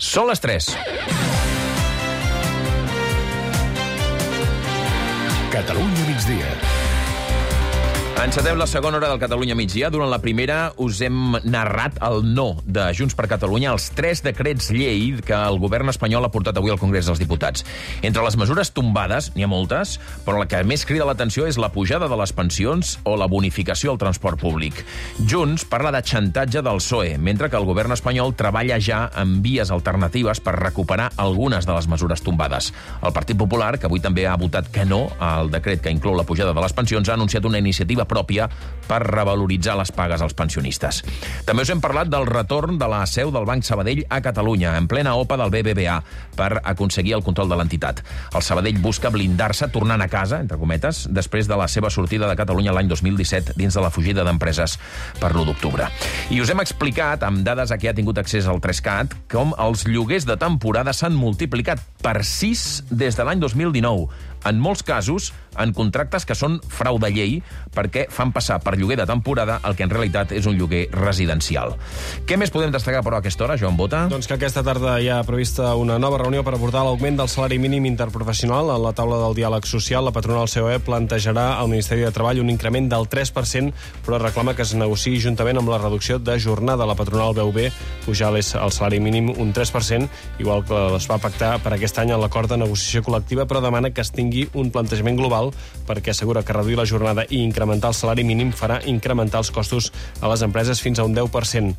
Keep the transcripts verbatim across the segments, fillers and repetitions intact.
Són les tres. Catalunya migdia. Encetem la segona hora del Catalunya migdia. Durant la primera us hem narrat el no de Junts per Catalunya als tres decrets llei que el govern espanyol ha portat avui al Congrés dels Diputats. Entre les mesures tombades, n'hi ha moltes, però la que més crida l'atenció és la pujada de les pensions o la bonificació al transport públic. Junts parla de xantatge del P S O E, mentre que el govern espanyol treballa ja en vies alternatives per recuperar algunes de les mesures tombades. El Partit Popular, que avui també ha votat que no al decret que inclou la pujada de les pensions, ha anunciat una iniciativa pròpia per revaloritzar les pagues als pensionistes. També us hem parlat del retorn de la seu del Banc Sabadell a Catalunya, en plena O P A del B B V A, per aconseguir el control de l'entitat. El Sabadell busca blindar-se tornant a casa, entre cometes, després de la seva sortida de Catalunya l'any dos mil disset dins de la fugida d'empreses per l'u d'octubre. I us hem explicat, amb dades a què ha tingut accés el Trescat, com els lloguers de temporada s'han multiplicat per sis des de l'any dos mil dinou. En molts casos, en contractes que són frau de llei, perquè fan passar per lloguer de temporada el que en realitat és un lloguer residencial. Què més podem destacar, però, a aquesta hora, Joan Bota? Doncs que aquesta tarda hi ha prevista una nova reunió per abordar l'augment del salari mínim interprofessional. A la taula del diàleg social, la patronal C O E plantejarà al Ministeri de Treball un increment del tres per cent, però reclama que es negociï juntament amb la reducció de jornada. La patronal veu bé pujar el salari mínim un tres per cent, igual que es va pactar per aquest any en l'acord de negociació col·lectiva, però demana que es tingui un plantejament global perquè assegura que reduir la jornada i incrementar el salari mínim farà incrementar els costos a les empreses fins a un deu per cent.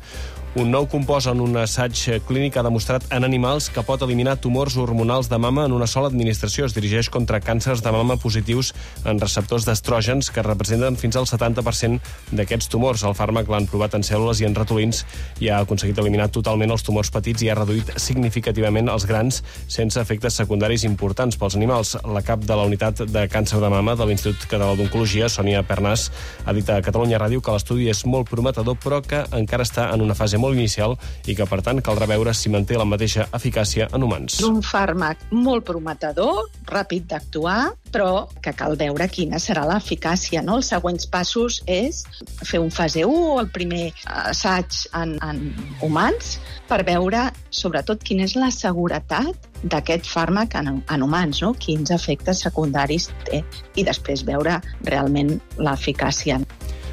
Un nou compost en un assaig clínic ha demostrat en animals que pot eliminar tumors hormonals de mama en una sola administració. Es dirigeix contra càncers de mama positius en receptors d'estrògens que representen fins al setanta per cent d'aquests tumors. El fàrmac l'han provat en cèl·lules i en ratolins i ha aconseguit eliminar totalment els tumors petits i ha reduït significativament els grans sense efectes secundaris importants pels animals. La cap de la unitat de càncer de mama de l'Institut Català d'Oncologia, Sònia Pernàs, ha dit a Catalunya Ràdio que l'estudi és molt prometedor però que encara està en una fase molt inicial i que, per tant, caldrà veure si manté la mateixa eficàcia en humans. Un fàrmac molt prometedor, ràpid d'actuar, però que cal veure quina serà l'eficàcia, no? Els següents passos és fer un fase u, el primer assaig en, en humans, per veure, sobretot, quina és la seguretat d'aquest fàrmac en, en humans, no? Quins efectes secundaris té, i després veure realment l'eficàcia.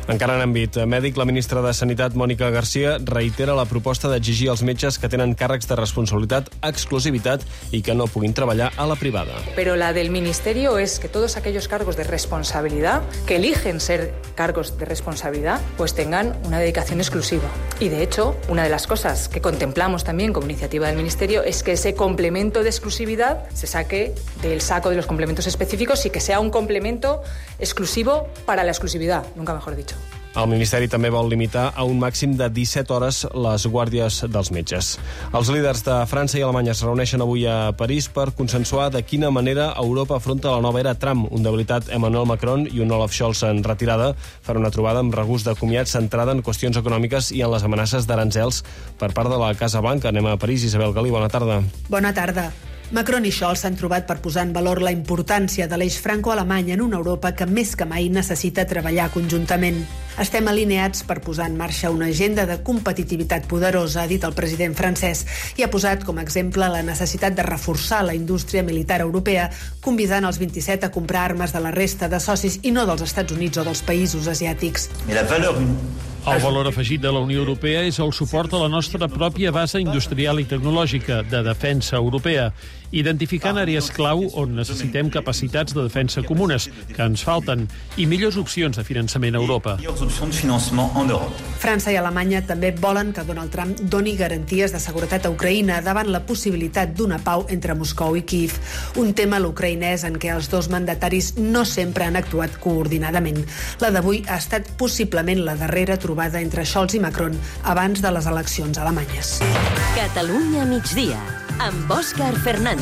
Encara en àmbit mèdic, la ministra de Sanitat, Mònica García, reitera la proposta d'exigir als metges que tenen càrrecs de responsabilitat exclusivitat i que no puguin treballar a la privada. Pero la del Ministerio es que todos aquellos cargos de responsabilidad, que eligen ser cargos de responsabilidad, pues tengan una dedicación exclusiva. Y de hecho, una de las cosas que contemplamos también como iniciativa del Ministerio es que ese complemento de exclusividad se saque del saco de los complementos específicos y que sea un complemento exclusivo para la exclusividad, nunca mejor dicho. El Ministeri també vol limitar a un màxim de disset hores les guàrdies dels metges. Els líders de França i Alemanya es reuneixen avui a París per consensuar de quina manera Europa afronta la nova era Trump. Un debilitat Emmanuel Macron i un Olaf Scholz en retirada faran una trobada amb regust de comiat centrada en qüestions econòmiques i en les amenaces d'aranzels per part de la Casa Blanca. Anem a París. Isabel Galí, bona tarda. Bona tarda. Macron i Scholz s'han trobat per posar en valor la importància de l'eix franco-alemany en una Europa que més que mai necessita treballar conjuntament. Estem alineats per posar en marxa una agenda de competitivitat poderosa, ha dit el president francès, i ha posat com a exemple la necessitat de reforçar la indústria militar europea, convidant els vint-i-set a comprar armes de la resta de socis i no dels Estats Units o dels països asiàtics. El valor afegit de la Unió Europea és el suport a la nostra pròpia base industrial i tecnològica de defensa europea, identificant àrees clau on necessitem capacitats de defensa comunes, que ens falten, i millors opcions de finançament a Europa. França i Alemanya també volen que Donald Trump doni garanties de seguretat a Ucraïna davant la possibilitat d'una pau entre Moscou i Kíev, un tema l'ucraïnès en què els dos mandataris no sempre han actuat coordinadament. La d'avui ha estat possiblement la darrera trobada entre Scholz i Macron abans de les eleccions alemanyes. Catalunya migdia, amb Òscar Fernández.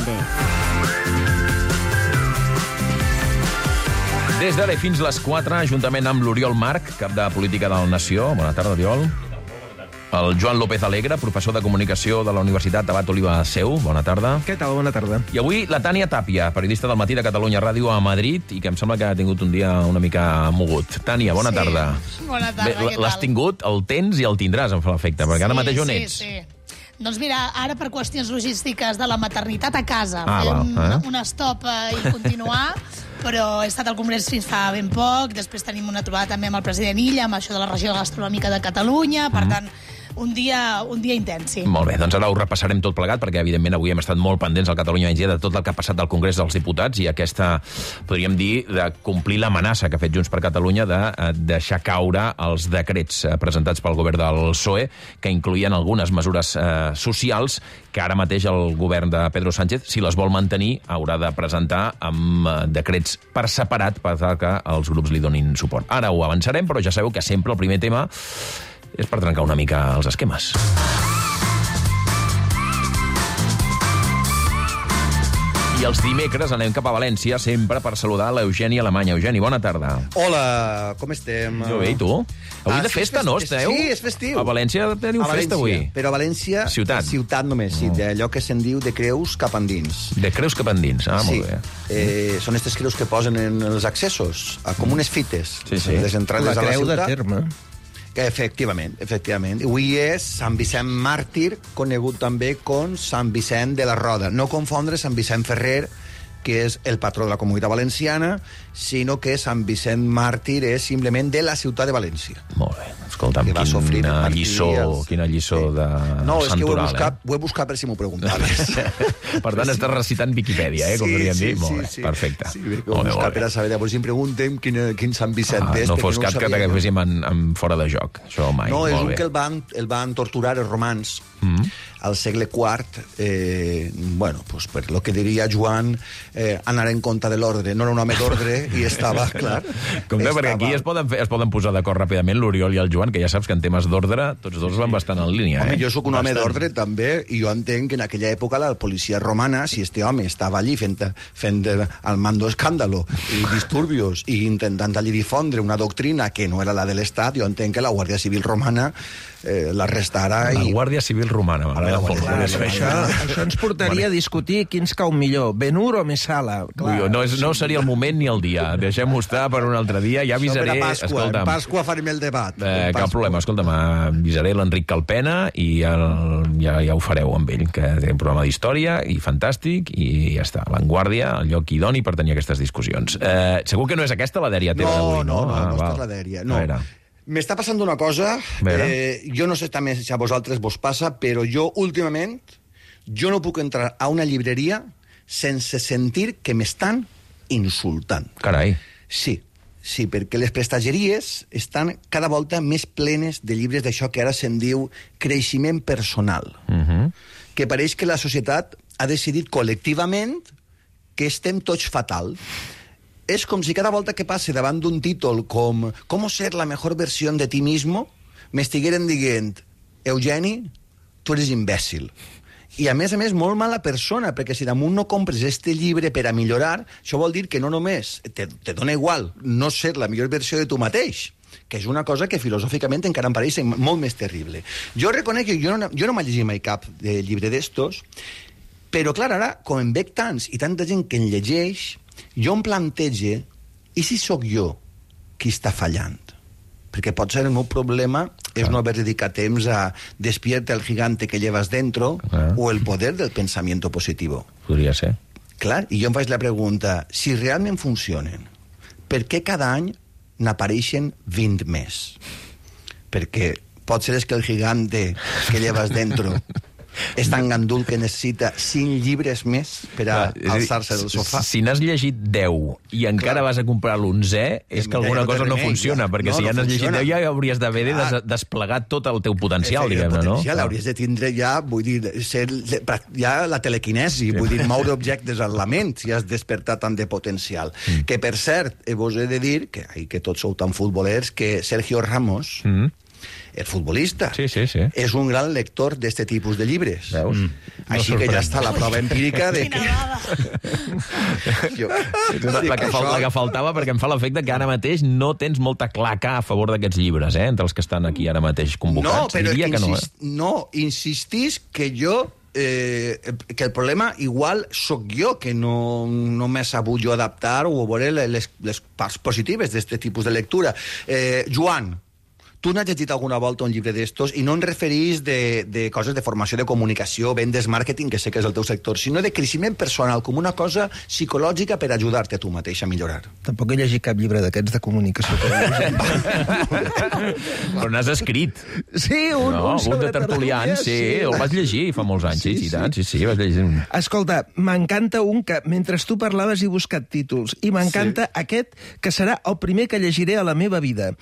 Des d'ara fins les quatre, juntament amb l'Oriol Marc, cap de Política del Nació. Bona tarda, Oriol. El Joan López Alegre, professor de Comunicació de la Universitat Abat Oliva Seu. Bona tarda. Què tal? Bona tarda. I avui la Tània Tàpia, periodista del Matí de Catalunya Ràdio a Madrid, i que em sembla que ha tingut un dia una mica mogut. Tània, bona sí. tarda. Bona tarda, Bé, què tal? l'has tingut, el tens i el tindràs, em fa l'efecte, perquè ara mateix on ets? Sí, sí. Doncs mira, ara per qüestions logístiques de la maternitat a casa, Ah, fer val, un, eh? un stop eh, i continuar, però he estat al Congrés fins fa ben poc, després tenim una trobada també amb el president Illa, amb això de la regió gastronòmica de Catalunya, per tant, un dia, un dia intens, sí. Molt bé, doncs ara ho repassarem tot plegat, perquè evidentment avui hem estat molt pendents al Catalunya Migdia de tot el que ha passat al Congrés dels Diputats i aquesta, podríem dir, de complir l'amenaça que ha fet Junts per Catalunya de eh, deixar caure els decrets eh, presentats pel govern del P S O E, que incloïen algunes mesures eh, socials que ara mateix el govern de Pedro Sánchez, si les vol mantenir, haurà de presentar amb eh, decrets per separat per tal que els grups li donin suport. Ara ho avançarem, però ja sabeu que sempre el primer tema és per trencar una mica els esquemes. I els dimecres anem cap a València, sempre per saludar l'Eugeni Alemanya. Eugeni, bona tarda. Hola, com estem? Jo bé, i tu? Avui Ah, de sí, festa, és no, fest- esteu? sí, és festiu. A València teniu A València, festa avui. però a València... Ciutat. Ciutat només, sí, d'allò que se'n diu de creus cap endins. De creus cap endins, ah, sí. molt bé. Eh, són aquestes creus que posen en els accessos, a, com unes fites. Sí, sí. Les entrades La a la creu de ciutat. terme. Que efectivament, efectivament. Avui és Sant Vicent Màrtir, conegut també com Sant Vicent de la Roda. No confondre Sant Vicent Ferrer, que és el patró de la Comunitat Valenciana, sinó que Sant Vicent Màrtir és simplement de la ciutat de València. Molt bé. Escolta'm, Que va sofrir quina martiri lliçó, als- quina lliçó Sí. de No, és que ho he, santoral, buscat, ho he buscat per si m'ho preguntaves. eh? Per tant, estàs recitant Viquipèdia, eh, com Sí, podríem sí, dir. Molt sí, bé, sí. perfecte. Sí, perquè ho Molt he bé, buscat molt per bé. a saber. Llavors, si em preguntem quin, quin Sant Vicent Ah, és, no perquè fos no ho cap que sabia jo. t'agaféssim en, en fora de joc. Això mai, No, és molt un bé. que el van, el van torturar els romans Mm. al segle quart, eh, bueno, pues per lo que diria Joan, eh, anar en compte de l'ordre. No era un home d'ordre i estava, clar... Compte, estava... perquè aquí es poden, fer, es poden posar d'acord ràpidament l'Oriol i el Joan, que ja saps que en temes d'ordre tots dos van bastant en línia. Home, eh? jo sóc un home Bastant. d'ordre també, i jo entenc que en aquella època la policia romana, si este home estava allí fent, fent el mando escàndalo i disturbios i intentant allí difondre una doctrina que no era la de l'Estat, jo entenc que la Guàrdia Civil romana eh, l'arrestara La i... Guàrdia Civil Romana, m'agrada molt. Clar, Clar, clar, Això, això ens portaria a discutir quins cau millor, Ben-Hur o Messala. Ui, no, és, no seria el moment ni el dia. Deixem-ho estar per un altre dia. Ja avisaré... Sobre Pasqua, escolta'm, en Pasqua farem el debat. Eh, En cap Pasqua. problema, escolta'm, avisaré l'Enric Calpena i ja, ja, ja ho fareu amb ell, que té un programa d'història i fantàstic, i ja està, Vanguardia, el lloc idoni per tenir aquestes discussions. Eh, segur que no és aquesta la dèria teva No, d'avui, no? no, no, Ah, no, val. esta és la dèria. No. A veure. M'està passant una cosa, Veure. eh, jo no sé també si a vosaltres vos passa, però jo últimament jo no puc entrar a una llibreria sense sentir que m'estan insultant. Carai. Sí, sí, perquè les prestageries estan cada volta més plenes de llibres d'això que ara se'n diu creixement personal, Uh -huh. que pareix que la societat ha decidit col·lectivament que estem tots fatal. És com si cada volta que passe davant d'un títol com «Com ser la mejor versión de ti mismo?» m'estigueren dient «Eugeni, tu eres imbècil». I, a més a més, molt mala persona, perquè si damunt no compres este llibre per a millorar, això vol dir que no només te, te dona igual no ser la millor versió de tu mateix, que és una cosa que filosòficament encara em pareix molt més terrible. Jo reconec que jo no, jo no m'he llegit mai cap de llibre d'estos, però, clar, ara, com en veig tants i tanta gent que en llegeix, jo em plantege, i si sóc jo qui està fallant? Perquè pot ser el meu problema és no haver dedicat temps a Despierta el gigante que llevas dentro Ah. o el poder del pensamiento positivo. Podria ser. Clar, i jo em faig la pregunta, si realment funcionen, per què cada any n'apareixen vint més? Perquè pot ser és que el gigante que llevas dentro és tan gandul que necessita cinc llibres més per a Clar, és a dir, alçar-se del sofà. Si n'has llegit deu i encara Clar. vas a comprar l'onzè, és Eh, que mira, alguna ja no té cosa no remei, funciona, ja. perquè No, si no ja n'has llegit funciona. deu ja hauries d'haver de Clar. des desplegat tot el teu potencial, Efecte, diguem-ne, no? potencial, hauries de tindre ja, vull dir, ser, ja la telequinesi, vull dir, moure objectes en la ment, si has despertat tant de potencial. Mm. Que, per cert, eh, vos he de dir, que, ai, que tots sou tan futbolers, que Sergio Ramos, Mm. el futbolista, Sí, sí, sí. és un gran lector d'este tipus de llibres. Veus? Mm. Així No que ja sorprèn. està la prova empírica de que... jo, La, la, que fal, la que faltava, perquè em fa l'efecte que ara mateix no tens molta claca a favor d'aquests llibres, eh? Entre els que estan aquí ara mateix No, convocats. però Diria que no, insist, eh? no, insistís que jo eh, que el problema igual sóc jo, que no, no m'he sabut jo adaptar o veure les, les parts positives d'aquest tipus de lectura. Eh, Joan, tu n'has llegit alguna volta un llibre d'estos, i no em referís de, de coses de formació de comunicació, vendes, màrqueting, que sé que és el teu sector, sinó de creixement personal, com una cosa psicològica per ajudar-te a tu mateix a millorar. Tampoc he llegit cap llibre d'aquests de comunicació. Però n'has escrit. Sí, un, no, un, un de tertulians, sí, sí, el vas llegir fa molts anys, sí, sí, sí, tant, sí, sí, vas llegir un... Escolta, m'encanta un que, mentre tu parlaves, he buscat títols, i m'encanta sí. aquest, que serà el primer que llegiré a la meva vida.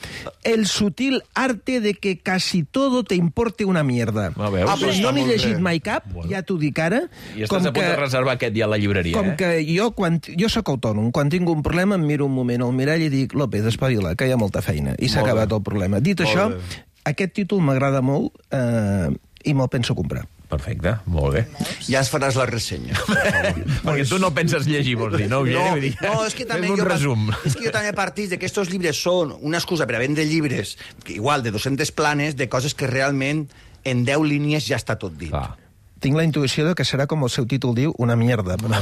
El sutil arte de que casi todo te importe una mierda. Ah, veus? Ah, però no n'he llegit mai cap, bueno. ja t'ho dic ara. I estàs a punt de reservar aquest dia a la llibreria, com eh? que jo, quan, jo sóc autònom, quan tinc un problema em miro un moment al mirall i dic, López, espavila, que hi ha molta feina. I s'ha acabat el problema. Dit molt això, bé. Aquest títol m'agrada molt eh, i me'l penso comprar. Perfecte, molt bé. Ja ens faràs la ressenya. Perquè tu no penses llegir, vols dir, no? No, no, és que també un jo, resum. És que jo també partís de que estos llibres són una excusa per a vendre llibres, que igual de dos-centes planes, de coses que realment en deu línies ja està tot dit. Ah. Tinc la intuïció de que serà, com el seu títol diu, una mierda. Però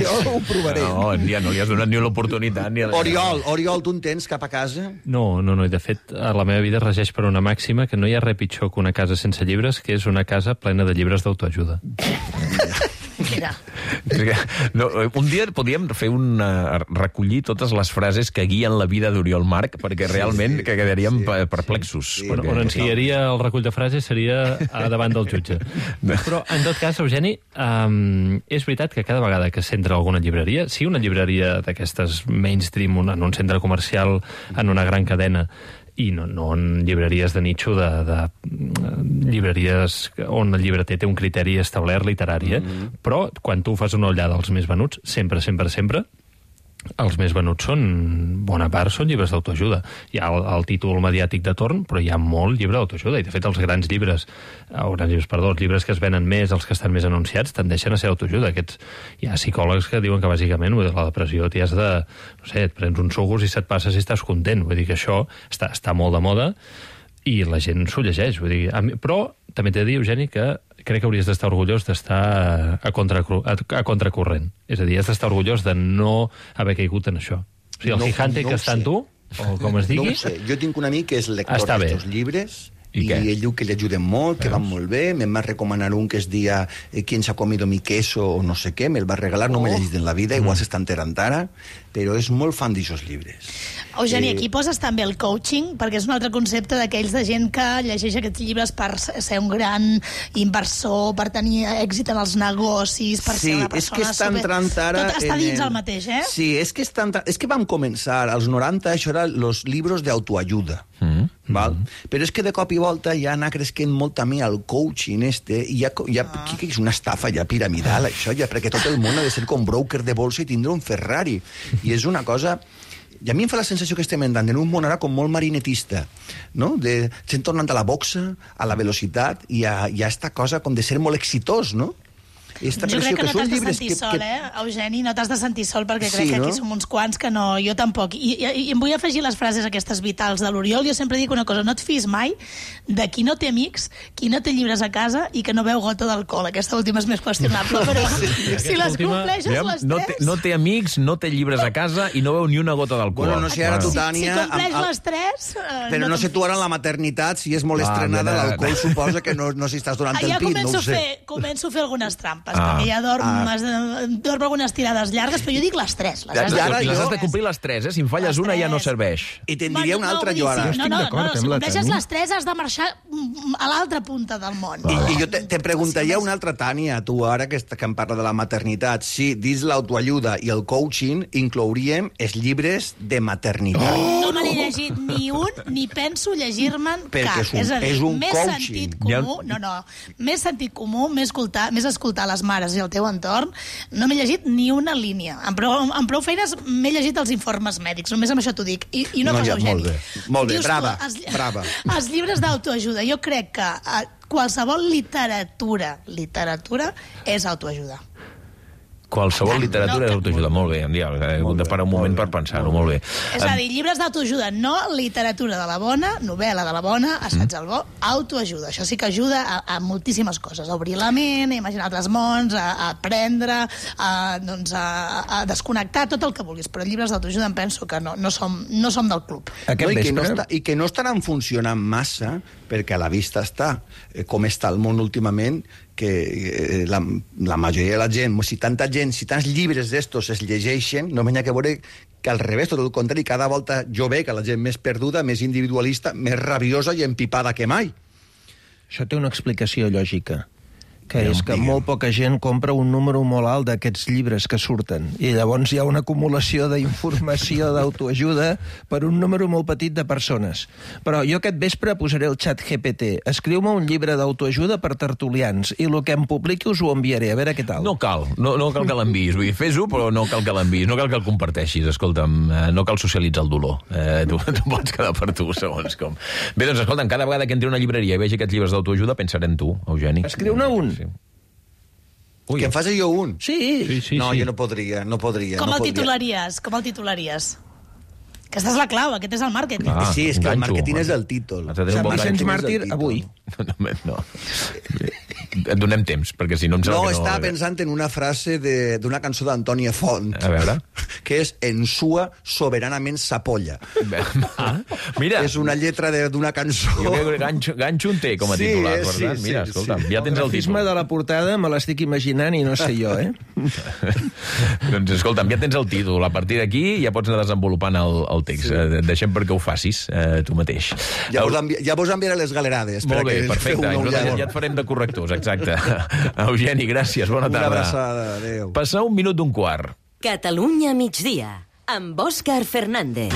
jo ho provaré. No, ja no li has donat ni l'oportunitat. Ni... Oriol, Oriol, tu en tens cap a casa? No, no, no. De fet, la meva vida es regeix per una màxima que no hi ha res pitjor que una casa sense llibres, que és una casa plena de llibres d'autoajuda. Mira. No, un dia podíem fer un, uh, recollir totes les frases que guien la vida d'Oriol Marc, perquè realment sí, sí, que quedaríem sí, perplexos. Sí, bueno, on ensenyaria el recull de frases seria a davant del jutge. Però, en tot cas, Eugeni, um, és veritat que cada vegada que s'entra a alguna llibreria, si una llibreria d'aquestes mainstream, en un centre comercial, en una gran cadena, i no, no en llibreries de nicho, de, de llibreries on el llibreter té un criteri establert literari, eh? Mm-hmm. Però quan tu fas una ullada als més venuts, sempre, sempre, sempre, els més venuts són, bona part, són llibres d'autoajuda. Hi ha el, el títol mediàtic de torn, però hi ha molt llibre d'autoajuda, i de fet els grans llibres, o grans llibres, perdó, els llibres que es venen més, els que estan més anunciats, tendeixen a ser autoajuda. Aquests, hi ha psicòlegs que diuen que bàsicament la depressió t'hi has de, no sé, et prens uns sucos i se't passa si estàs content. Vull dir que això està, està molt de moda i la gent s'ho llegeix. Vull dir, a mi, però també t'he de dir, Eugeni, que crec que hauries d'estar orgullós d'estar a, contra, a, a contracorrent. És a dir, has d'estar orgullós de no haver caigut en això. O sigui, el no, gigante no que està en tu, o com es digui... No ho sé. Jo tinc un amic que és lector d'estos llibres... I, I ell diu que li ajuden molt, que van molt bé. Me'n va recomanar un que es dia eh, ¿Quién se ha comido mi queso? O no sé què. Me'l va regalar, no oh. m'he llegit en la vida, igual mm. s'està enterant ara, però és molt fan d'aixòs llibres. Eugeni, eh... aquí poses també el coaching, perquè és un altre concepte d'aquells de gent que llegeix aquests llibres per ser un gran inversor, per tenir èxit en els negocis, per sí, ser una persona... És que està entrant ara... Tot està dins el... el mateix, eh? Sí, és que, està entrant... és que vam començar, als noranta, això era els llibres d'autoajuda. Mm. Val? Mm-hmm. Però és que de cop i volta ja anar cresquent molt també el coaching este, i ja, ja ah. que és una estafa ja piramidal, això, ja, perquè tot el món ha de ser com broker de bolsa i tindre un Ferrari. I és una cosa... I a mi em fa la sensació que estem entrant en un món ara com molt marinetista, no? De, estem tornant a la boxa, a la velocitat, i a, i a esta cosa com de ser molt exitós, no? Jo crec que, que no t'has de sentir que, sol, que... eh, Eugeni, no t'has de sentir sol, perquè crec sí, que aquí no? som uns quants que no, jo tampoc. I, i, I em vull afegir les frases aquestes vitals de l'Oriol. Jo sempre dic una cosa, no et fiïs mai de qui no té amics, qui no té llibres a casa i que no beu gota d'alcohol. Aquesta última és més qüestionable, però sí. si les compleixes ja, les no tres... Té, no té amics, no té llibres a casa i no beu ni una gota d'alcohol. Bueno, no sé, ara tu, Tània... Si, si compleix amb, les tres... Eh, però no, no sé tu ara en la maternitat, si és molt ah, estrenada, l'alcohol suposa que no, no s'hi estàs donant ah, el ja pit, no ho sé. Fer, començo a fer algunes trampes, ah. perquè ja dorm Ah. dorm algunes tirades llargues, però jo dic les tres. Les, les, les, les has de complir les tres, eh? Si em falles una ja no serveix. I te'n diria una altra, jo ara. No, no, no, no, si compleixes les tres has de marxar a l'altra punta del món. I, i jo te, te preguntaria una altra, Tània, tu ara que, que em parla de la maternitat, si dins l'autoajuda i el coaching inclouríem els llibres de maternitat. Oh, no me n'he llegit ni un, ni penso llegir-me'n cap. És, un, és a dir, és un més coaching. sentit comú, no, no, més sentit comú, més escoltar, més escoltar les mares i el teu entorn. No m'he llegit ni una línia. Amb prou, amb prou feines m'he llegit els informes mèdics, només amb això t'ho dic. I, i una no, cosa, ja, Eugeni. Molt bé, molt bé. brava, tu, els, brava. Els llibres d'autoajuda, jo crec que qualsevol literatura, literatura és autoajuda. Qualsevol literatura és autoajuda. Molt bé, he hagut de parar un moment per pensar-ho, molt bé. És a dir, llibres d'autoajuda, no literatura de la bona, novel·la de la bona, assaig del bo, autoajuda. Això sí que ajuda a, a moltíssimes coses, a obrir la ment, a imaginar altres mons, a, a aprendre, a, doncs a, a desconnectar, tot el que vulguis. Però llibres d'autoajuda em penso que no, no, som, no som del club. No, i, que no està, I que no estaran funcionant massa, perquè a la vista està eh, com està el món últimament, que eh, la, la majoria de la gent, si tanta gent, si tants llibres d'estos es llegeixen, no m'hi ha que veure que al revés, tot el contrari, cada volta jo veig la gent més perduda, més individualista, més rabiosa i empipada que mai. Això té una explicació lògica, que és que molt poca gent compra un número molt alt d'aquests llibres que surten, i llavors hi ha una acumulació d'informació d'autoajuda per un número molt petit de persones. Però jo aquest vespre posaré el xat G P T. Escriu-me un llibre d'autoajuda per tertulians, i el que em publiqui us ho enviaré, a veure què tal. No cal, no, no cal que l'enviïs. Vull dir, fes-ho, però no cal que l'enviïs, no cal que el comparteixis. Escolta'm, eh, no cal socialitzar el dolor. Eh, tu, tu pots quedar per tu, segons com. Bé, doncs, escolta'm, cada vegada que entri a una llibreria i vegi aquests llibres d'autoajuda, pensaré en tu, Eugeni. Escriu-ne un. Sí. Ui. Que em faci jo un? Sí. sí, sí no, sí. jo no podria, no podria. Com no el podria. titularies? Com el titularies? Aquesta és la clau, aquest és el màrqueting. Ah, sí, és que el màrqueting és el títol. Sant Vicenç Màrtir, avui. No, no. Et donem temps, perquè si no em sembla no, que no... No, estava pensant en una frase d'una cançó d'Antònia Font. A veure. Que és Ensua soberanament s'apolla. Ah, mira. És una lletra d'una cançó. Jo crec que ganxo, ganxo en té com a sí, titular, sí, per tant. sí, Mira, sí, escolta, sí. ja tens el, el grafisme títol. de la portada me l'estic imaginant i no sé jo, eh? Doncs escolta'm, ja tens el títol. A partir d'aquí ja pots anar desenvolupant el, el text. Sí. Eh, deixem perquè ho facis eh, tu mateix. Ja vos, envi ja vos enviaré les galerades. Molt bé, que perfecte. Ja, ja et farem de correctors, exacte. Eugeni, gràcies, bona tarda. Una abraçada, adéu. Passar un minut d'un quart. Catalunya migdia, amb Òscar Fernández.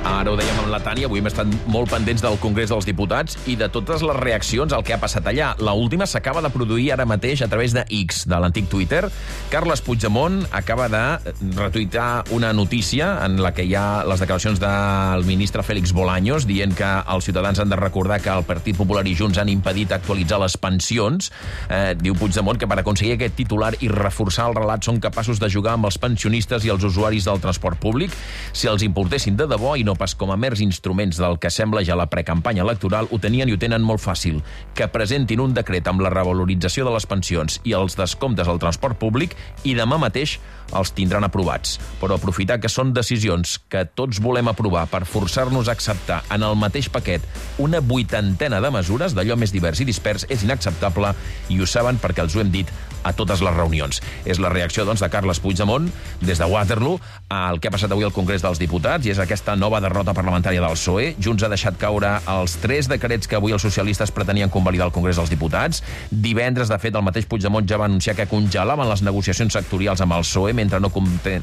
Ara ho dèiem amb la Tània, avui hem estat molt pendents del Congrés dels Diputats i de totes les reaccions al que ha passat allà. L'última s'acaba de produir ara mateix a través de X, de l'antic Twitter. Carles Puigdemont acaba de retuitar una notícia en la que hi ha les declaracions del ministre Félix Bolaños dient que els ciutadans han de recordar que el Partit Popular i Junts han impedit actualitzar les pensions. Eh, diu Puigdemont que per aconseguir aquest titular i reforçar el relat són capaços de jugar amb els pensionistes i els usuaris del transport públic. Si els importessin de debò i no pas com a mers instruments del que sembla ja la precampanya electoral, ho tenien i ho tenen molt fàcil. Que presentin un decret amb la revalorització de les pensions i els descomptes al transport públic i demà mateix els tindran aprovats. Però aprofitar que són decisions que tots volem aprovar per forçar-nos a acceptar en el mateix paquet una vuitantena de mesures d'allò més divers i dispers és inacceptable i ho saben perquè els ho hem dit a totes les reunions. És la reacció, doncs, de Carles Puigdemont des de Waterloo al que ha passat avui al Congrés dels Diputats i és aquesta nova derrota parlamentària del P S O E. Junts ha deixat caure els tres decrets que avui els socialistes pretenien convalidar al Congrés dels Diputats. Divendres, de fet, el mateix Puigdemont ja va anunciar que congelaven les negociacions sectorials amb el P S O E mentre no,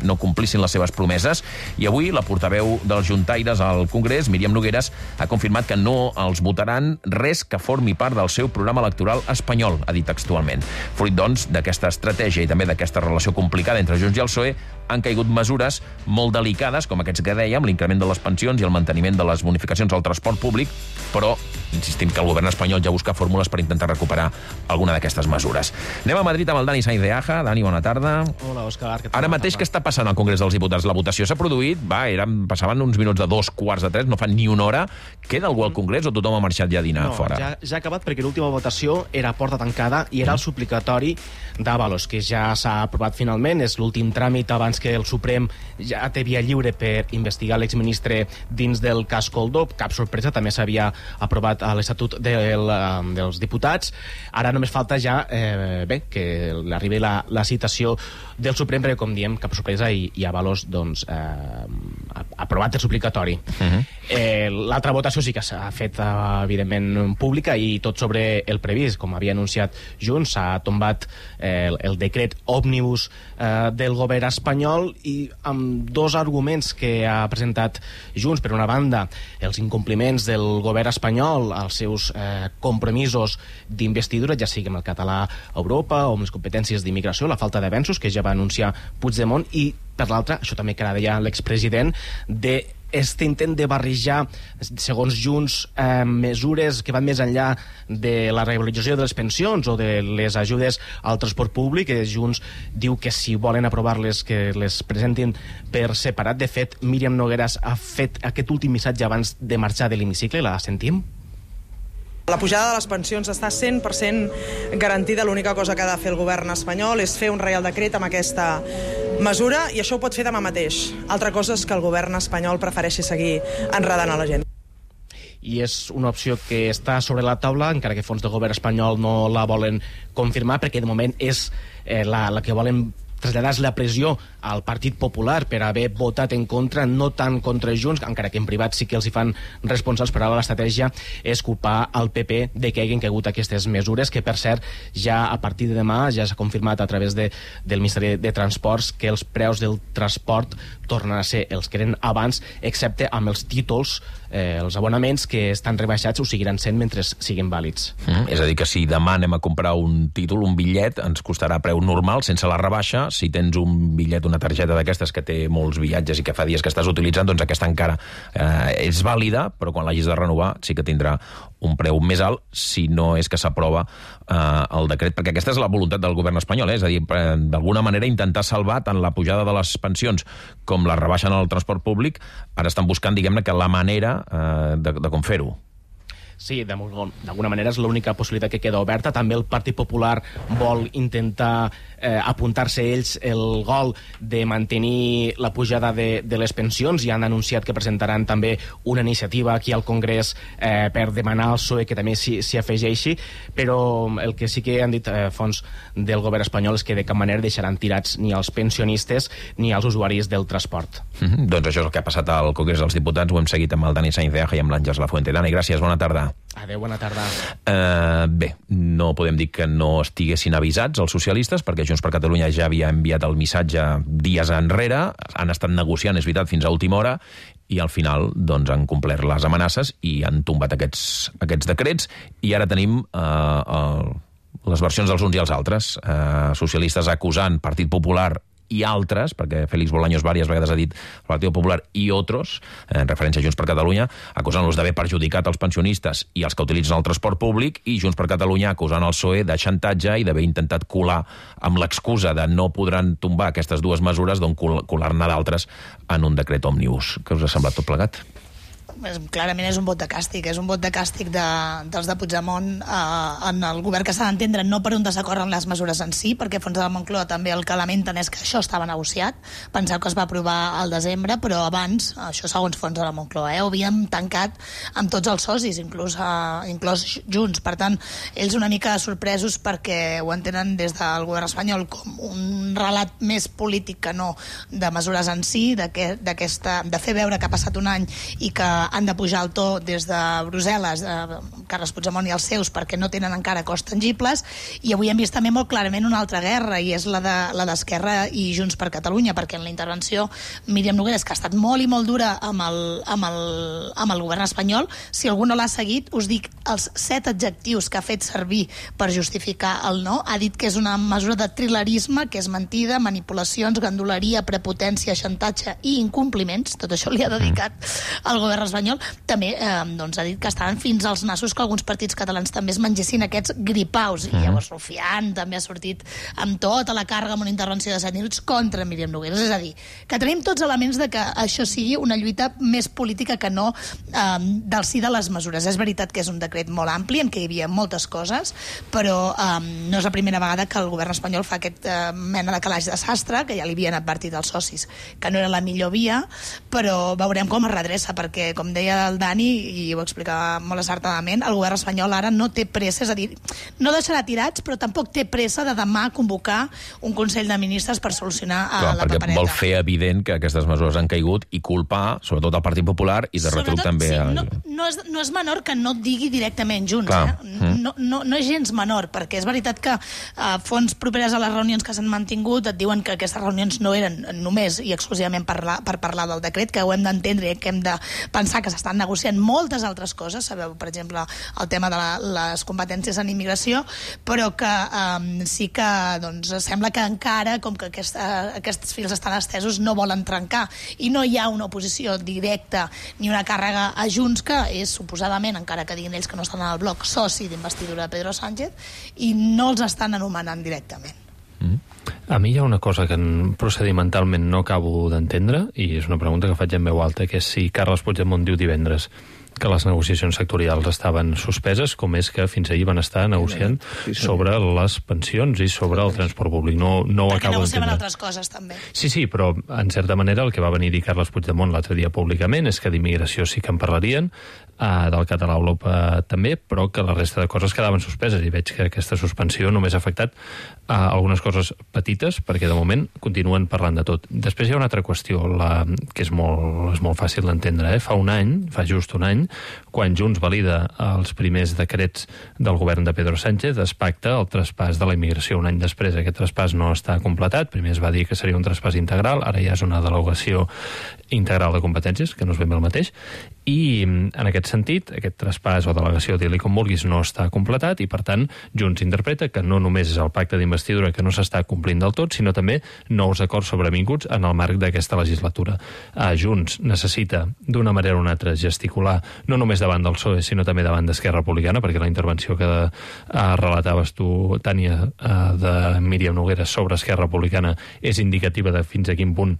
no complissin les seves promeses. I avui la portaveu dels juntaires al Congrés, Míriam Nogueras, ha confirmat que no els votaran res que formi part del seu programa electoral espanyol, ha dit textualment. Fruit, doncs, d'aquesta estratègia i també d'aquesta relació complicada entre Junts i el P S O E, han caigut mesures molt delicades, com aquests que dèiem, l'increment de les pensions i el manteniment de les bonificacions al transport públic, però insistim que el govern espanyol ja busca fórmules per intentar recuperar alguna d'aquestes mesures. Anem a Madrid amb el Dani Sainz de Aja. Dani, bona tarda. Hola, Òscar. Ara mateix què està passant al Congrés dels Diputats? La votació s'ha produït, va, eren, passaven uns minuts de dos quarts de tres, no fan ni una hora. Queda algú al Congrés o tothom ha marxat ja a dinar no, fora? Ja, ja ha acabat perquè l'última votació era a porta tancada i era el suplicatori d'Avalos, que ja s'ha aprovat finalment. És l'últim tràmit abans que el Suprem ja té via lliure per investigar l'exministre dins del cas Coldo. Cap sorpresa, també s'havia aprovat a l'Estatut del, dels Diputats. Ara només falta ja eh, bé, que arribi la, la citació del Suprem, perquè, com diem, cap sorpresa, i, i Avalos doncs, eh, ha aprovat el suplicatori. Uh-huh. eh, L'altra votació sí que s'ha fet, evidentment, pública i tot sobre el previst. Com havia anunciat Junts, s'ha tombat eh, el, el decret òmnibus eh, del govern espanyol, i amb dos arguments que ha presentat Junts. Per una banda, els incompliments del govern espanyol als seus eh, compromisos d'investidura, ja sigui amb el català a Europa o amb les competències d'immigració, la falta d'avenços que ja va anunciar Puigdemont, i per l'altra, això també que ara deia l'expresident, de este intent de barrejar, segons Junts, eh, mesures que van més enllà de la revalorització de les pensions o de les ajudes al transport públic. Junts diu que si volen aprovar-les, que les presentin per separat. De fet, Míriam Nogueras ha fet aquest últim missatge abans de marxar de l'hemicicle. La sentim? La pujada de les pensions està cent per cent garantida. L'única cosa que ha de fer el govern espanyol és fer un reial decret amb aquesta mesura, i això ho pot fer demà mateix. Altra cosa és que el govern espanyol prefereixi seguir enredant a la gent. I és una opció que està sobre la taula, encara que fons del govern espanyol no la volen confirmar, perquè de moment és eh, la, la que volen traslladar la pressió al Partit Popular per haver votat en contra, no tant contra Junts, encara que en privat sí que els hi fan responsables, però l'estratègia és culpar al P P de que hagin caigut aquestes mesures, que per cert ja a partir de demà ja s'ha confirmat a través de, del Ministeri de Transports que els preus del transport tornen a ser els que eren abans, excepte amb els títols, eh, els abonaments que estan rebaixats ho seguiran sent mentre siguin vàlids. Mm, és a dir, que si demà anem a comprar un títol, un bitllet, ens costarà preu normal, sense la rebaixa. Si tens un bitllet, una targeta d'aquestes que té molts viatges i que fa dies que estàs utilitzant, doncs aquesta encara eh, és vàlida, però quan l'hagis de renovar sí que tindrà un preu més alt, si no és que s'aprova eh, el decret, perquè aquesta és la voluntat del govern espanyol, eh? És a dir, eh, d'alguna manera intentar salvar tant la pujada de les pensions com la rebaixa en el transport públic. Ara estan buscant, diguem-ne, que la manera eh, de, de com fer-ho. Sí, d'alguna manera és l'única possibilitat que queda oberta. També el Partit Popular vol intentar eh, apuntar-se ells el gol de mantenir la pujada de, de les pensions, i han anunciat que presentaran també una iniciativa aquí al Congrés eh, per demanar al P S O E que també s'hi afegeixi, però el que sí que han dit eh, fons del govern espanyol és que de cap manera deixaran tirats ni els pensionistes ni els usuaris del transport. Mm-hmm. Doncs això és el que ha passat al Congrés dels Diputats. Ho hem seguit amb el Dani Sainz de Aja i amb l'Àngels Lafuente. Dani, gràcies, bona tarda. Adéu, bona tarda. Uh, bé, no podem dir que no estiguessin avisats els socialistes, perquè Junts per Catalunya ja havia enviat el missatge dies enrere, han estat negociant, és veritat, fins a última hora, i al final doncs, han complert les amenaces i han tombat aquests, aquests decrets, i ara tenim uh, uh, les versions dels uns i els altres. Uh, socialistes acusant Partit Popular i altres, perquè Félix Bolaños diverses vegades ha dit el Partit Popular i otros, en referència a Junts per Catalunya, acusant-los d'haver perjudicat els pensionistes i els que utilitzen el transport públic, i Junts per Catalunya acusant el P S O E de xantatge i d'haver intentat colar, amb l'excusa de no podran tombar aquestes dues mesures, doncs colar-ne d'altres en un decret òmnibus. Què us ha semblat tot plegat? Clarament és un vot de càstig, és un vot de càstig de, dels de Puigdemont eh, en el govern, que s'ha d'entendre no per un desacord en les mesures en si, perquè fons de la Moncloa també el que lamenten és que això estava negociat. Penseu que es va aprovar al desembre, però abans, això segons fons de la Moncloa, eh, ho havíem tancat amb tots els socis, inclús, eh, inclús Junts. Per tant, ells una mica sorpresos perquè ho entenen des del govern espanyol com un relat més polític que no de mesures en si, de, que, de fer veure que ha passat un any i que han de pujar el to des de Brussel·les, eh, Carles Puigdemont i els seus, perquè no tenen encara costs tangibles. I avui hem vist també molt clarament una altra guerra, i és la de la d'Esquerra i Junts per Catalunya, perquè en la intervenció Míriam Nogueras, que ha estat molt i molt dura amb el, amb el, amb el govern espanyol, si algú no l'ha seguit, us dic els set adjectius que ha fet servir per justificar el no. Ha dit que és una mesura de trilerisme, que és mentida, manipulacions, ganduleria, prepotència, xantatge i incompliments. Tot això li ha dedicat al govern espanyol. També eh, doncs ha dit que estaven fins als nassos que alguns partits catalans també es mengessin aquests gripaus, i llavors Rufián també ha sortit amb tota la càrrega amb una intervenció de set minuts contra Míriam Nogueras. És a dir, que tenim tots elements de que això sigui una lluita més política que no eh, del sí de les mesures. És veritat que és un decret molt ampli en què hi havia moltes coses, però eh, no és la primera vegada que el govern espanyol fa aquest eh, mena de calaix de sastre, que ja li havien advertit als socis que no era la millor via, però veurem com es redreça, perquè com deia el Dani, i ho explicava molt acertadament, el govern espanyol ara no té pressa, és a dir, no deixarà tirats, però tampoc té pressa de demà convocar un Consell de Ministres per solucionar Clar, la papereta. Perquè vol fer evident que aquestes mesures han caigut i culpar, sobretot el Partit Popular, i de retruc també... Sí, a... no, no, és, no és menor que no et digui directament Junts, Clar. eh? No, no, no és gens menor, perquè és veritat que a fons properes a les reunions que s'han mantingut et diuen que aquestes reunions no eren només i exclusivament per, la, per parlar del decret, que ho hem d'entendre i que hem de pensar pensar que s'estan negociant moltes altres coses, sabeu, per exemple, el tema de la, les competències en immigració, però que um, sí que doncs, sembla que encara, com que aquesta, aquests fils estan estesos, no volen trencar, i no hi ha una oposició directa ni una càrrega a Junts, que és suposadament, encara que diguin ells que no estan en el bloc, soci d'investidura de Pedro Sánchez, i no els estan anomenant directament. Mm. A mi hi ha una cosa que procedimentalment no acabo d'entendre, i és una pregunta que faig en veu alta, que és si Carles Puigdemont diu divendres que les negociacions sectorials estaven suspeses, com és que fins ahir van estar negociant sí, sí, sobre les pensions i sobre el transport públic. No, no ho acabo d'entendre. Perquè negociaven altres coses, també. Sí, sí, però en certa manera el que va venir a dir Carles Puigdemont l'altre dia públicament és que d'immigració sí que en parlarien, Uh, del català a Europa també, però que la resta de coses quedaven suspeses, i veig que aquesta suspensió només ha afectat uh, algunes coses petites, perquè de moment continuen parlant de tot. Després hi ha una altra qüestió, la, que és molt, és molt fàcil d'entendre. Eh? Fa un any, fa just un any, quan Junts valida els primers decrets del govern de Pedro Sánchez, es pacta el traspàs de la immigració. Un any després aquest traspàs no està completat, primer es va dir que seria un traspàs integral, ara ja és una delegació integral de competències, que no és ben bé el mateix, i en aquest sentit, aquest traspàs o delegació, dir-li com vulguis, no està completat, i per tant Junts interpreta que no només és el pacte d'investidura que no s'està complint del tot, sinó també nous acords sobrevinguts en el marc d'aquesta legislatura. Uh, Junts necessita, d'una manera o una altra, gesticular, no només davant del P S O E, sinó també davant d'Esquerra Republicana, perquè la intervenció que uh, relataves tu, Tània, uh, de Míriam Nogueras sobre Esquerra Republicana és indicativa de fins a quin punt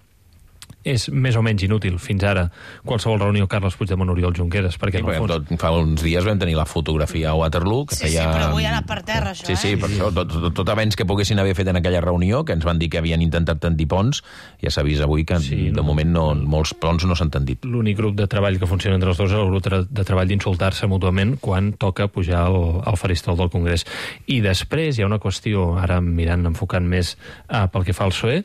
és més o menys inútil fins ara qualsevol reunió Carles Puigdemont Oriol Junqueras, perquè sí, en el fons... tot, fa uns dies vam tenir la fotografia a Waterloo, que sí, feia... Sí, però avui ha anat per terra, això, sí, sí, eh? per això, tot, tot, tot avenç que poguessin haver fet en aquella reunió, que ens van dir que havien intentat tendir ponts, ja s'ha vist avui que sí, de moment no, molts ponts no s'han tendit. L'únic grup de treball que funciona entre els dos és el grup de treball d'insultar-se mútuament quan toca pujar al, al faristol del Congrés. I després hi ha una qüestió, ara mirant, enfocant més uh, pel que fa al P S O E.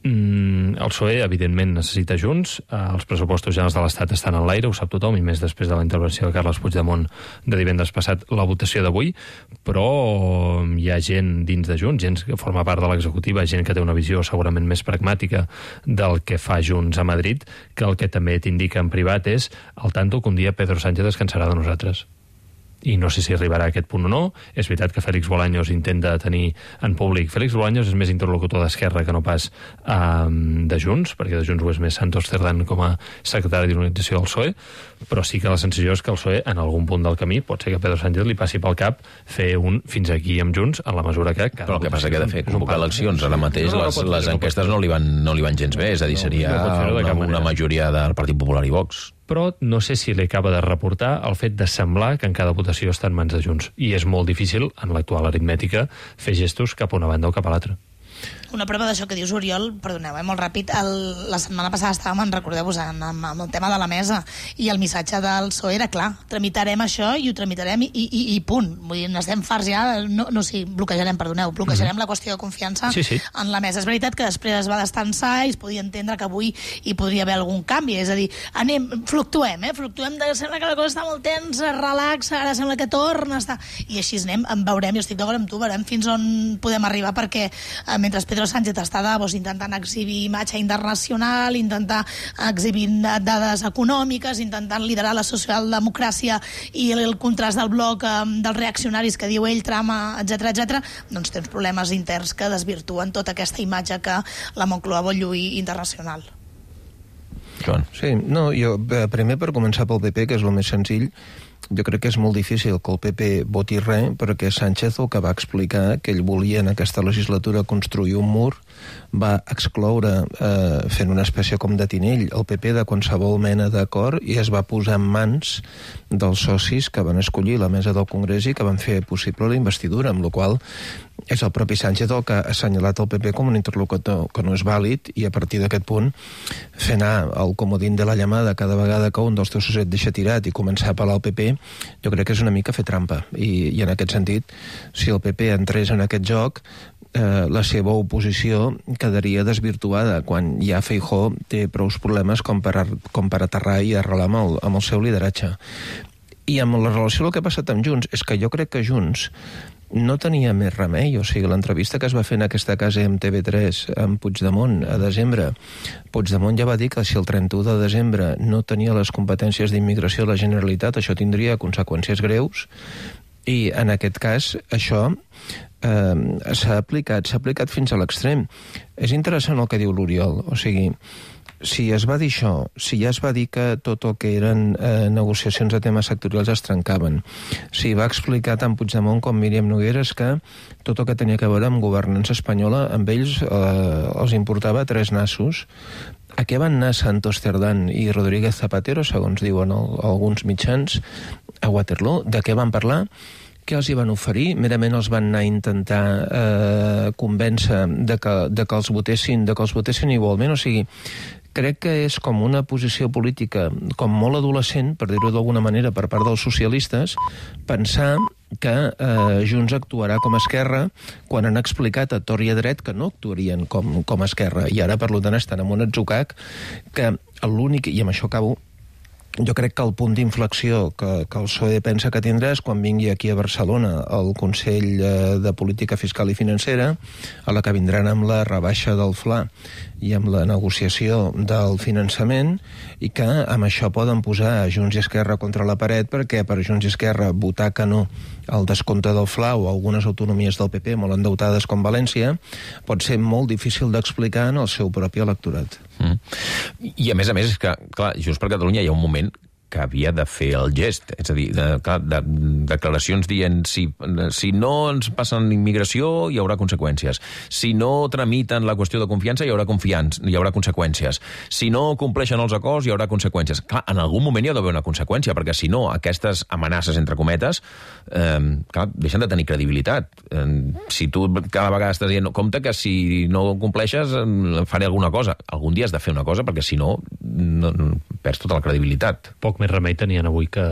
Mm, el P S O E, evidentment, necessita Junts. Eh, els pressupostos generals de l'Estat estan en l'aire, ho sap tothom, i més després de la intervenció de Carles Puigdemont de divendres passat, la votació d'avui, però hi ha gent dins de Junts, gent que forma part de l'executiva, gent que té una visió segurament més pragmàtica del que fa Junts a Madrid, que el que també t'indica en privat és el tanto que un dia Pedro Sánchez descansarà de nosaltres. I no sé si arribarà a aquest punt o no. És veritat que Félix Bolaños intenta tenir en públic. Félix Bolaños és més interlocutor d'Esquerra que no pas um, de Junts, perquè de Junts ho és més Santos Cerdán com a secretari d'organització del P S O E, però sí que la sensació és que el P S O E, en algun punt del camí, pot ser que Pedro Sánchez li passi pel cap fer un fins aquí amb Junts, en la mesura que... Però el que passa que de fer convocar eleccions ara mateix, no, no, les, les enquestes no li, van, no li van gens bé, és a dir, seria no, no una, una majoria del Partit Popular i Vox. Però no sé si li acaba de reportar el fet de semblar que en cada votació està en mans de Junts. I és molt difícil, en l'actual aritmètica, fer gestos cap a una banda o cap a l'altra. Una prova d'això que dius, Oriol, perdoneu, eh, molt ràpid, el, la setmana passada estàvem, en recordeu-vos, en, en, en el tema de la mesa, i el missatge del P S O E era clar, tramitarem això i ho tramitarem i, i, i punt. Vull dir, n'estem farts ja, no, no sí, bloquejarem, perdoneu, bloquejarem mm-hmm. la qüestió de confiança sí, sí. en la mesa. És veritat que després es va destensar i es podia entendre que avui hi podria haver algun canvi, és a dir, anem, fluctuem, eh, fluctuem, de, sembla que la cosa està molt tensa, relaxa, ara sembla que torna, està... i així anem, en veurem, jo estic d'acord amb tu, veurem fins on podem arribar, perquè eh, mentre Pedro Sánchez està a Davos intentant exhibir imatge internacional, intentar exhibir dades econòmiques, intentant liderar la socialdemocràcia i el, el contrast del bloc eh, dels reaccionaris que diu ell, trama, etcètera, etcètera, doncs té uns problemes interns que desvirtuen tota aquesta imatge que la Moncloa vol lluir internacional. Joan. Sí, no, jo, primer per començar pel P P, que és el més senzill, jo crec que és molt difícil que el P P voti res, perquè Sánchez el que va explicar que ell volia en aquesta legislatura construir un mur, va excloure, eh, fent una espècie com de tinell, el P P de qualsevol mena d'acord, i es va posar en mans dels socis que van escollir la mesa del Congrés i que van fer possible la investidura, amb la qual és el propi Sánchez el que ha assenyalat el P P com un interlocutor que no és vàlid, i a partir d'aquest punt fer anar el comodín de la llamada cada vegada que un dels teus socis et deixa tirat i començar a apel·lar al P P, jo crec que és una mica fer trampa, i, i en aquest sentit, si el P P entrés en aquest joc, eh, la seva oposició quedaria desvirtuada, quan ja Feijóo té prou problemes com per, com per aterrar i arrelar amb el, amb el seu lideratge. I amb la relació del que ha passat amb Junts, és que jo crec que Junts no tenia més remei. O sigui, l'entrevista que es va fer en aquesta casa amb T V tres amb Puigdemont a desembre, Puigdemont ja va dir que si el trenta-u de desembre no tenia les competències d'immigració de la Generalitat, això tindria conseqüències greus, i en aquest cas això eh, s'ha aplicat, s'ha aplicat fins a l'extrem. És interessant el que diu l'Oriol, o sigui, si es va dir això, si ja es va dir que tot el que eren eh, negociacions de temes sectorials es trencaven, si va explicar tant Puigdemont com Míriam Nogueras que tot el que tenia a veure amb governança espanyola, amb ells eh, els importava tres nassos. A què van anar Santos Cerdán i Rodríguez Zapatero, segons diuen el, alguns mitjans, a Waterloo? De què van parlar? Què els hi van oferir? Merament els van anar a intentar eh, convèncer de que, de que els votessin, de que els votessin igualment. O sigui, crec que és com una posició política com molt adolescent, per dir-ho d'alguna manera, per part dels socialistes, pensar que eh, Junts actuarà com a Esquerra quan han explicat a tort i a dret que no actuarien com, com a Esquerra. I ara, per tant, estan en un atzucac que l'únic, i amb això acabo, jo crec que el punt d'inflexió que, que el P S O E pensa que tindrà és quan vingui aquí a Barcelona el Consell de Política Fiscal i Financera, a la que vindran amb la rebaixa del F L A i amb la negociació del finançament, i que amb això poden posar Junts i Esquerra contra la paret, perquè per Junts i Esquerra votar que no al descompte del F L A o algunes autonomies del P P molt endeutades com València pot ser molt difícil d'explicar en el seu propi electorat. Mm. I a més a més, és que, clar, Junts per Catalunya hi ha un moment que havia de fer el gest, és a dir, de, clar, de, declaracions dient si, si no ens passen immigració hi haurà conseqüències, si no tramiten la qüestió de confiança hi haurà confiança, hi haurà conseqüències, si no compleixen els acords hi haurà conseqüències. Clar, en algun moment hi ha d'haver una conseqüència, perquè si no, aquestes amenaces, entre cometes, eh, clar, deixen de tenir credibilitat. Eh, si tu cada vegada estàs dient, compte que si no compleixes eh, faré alguna cosa. Algun dia has de fer una cosa, perquè si no, no, no perds tota la credibilitat. Poc més remei tenien avui que,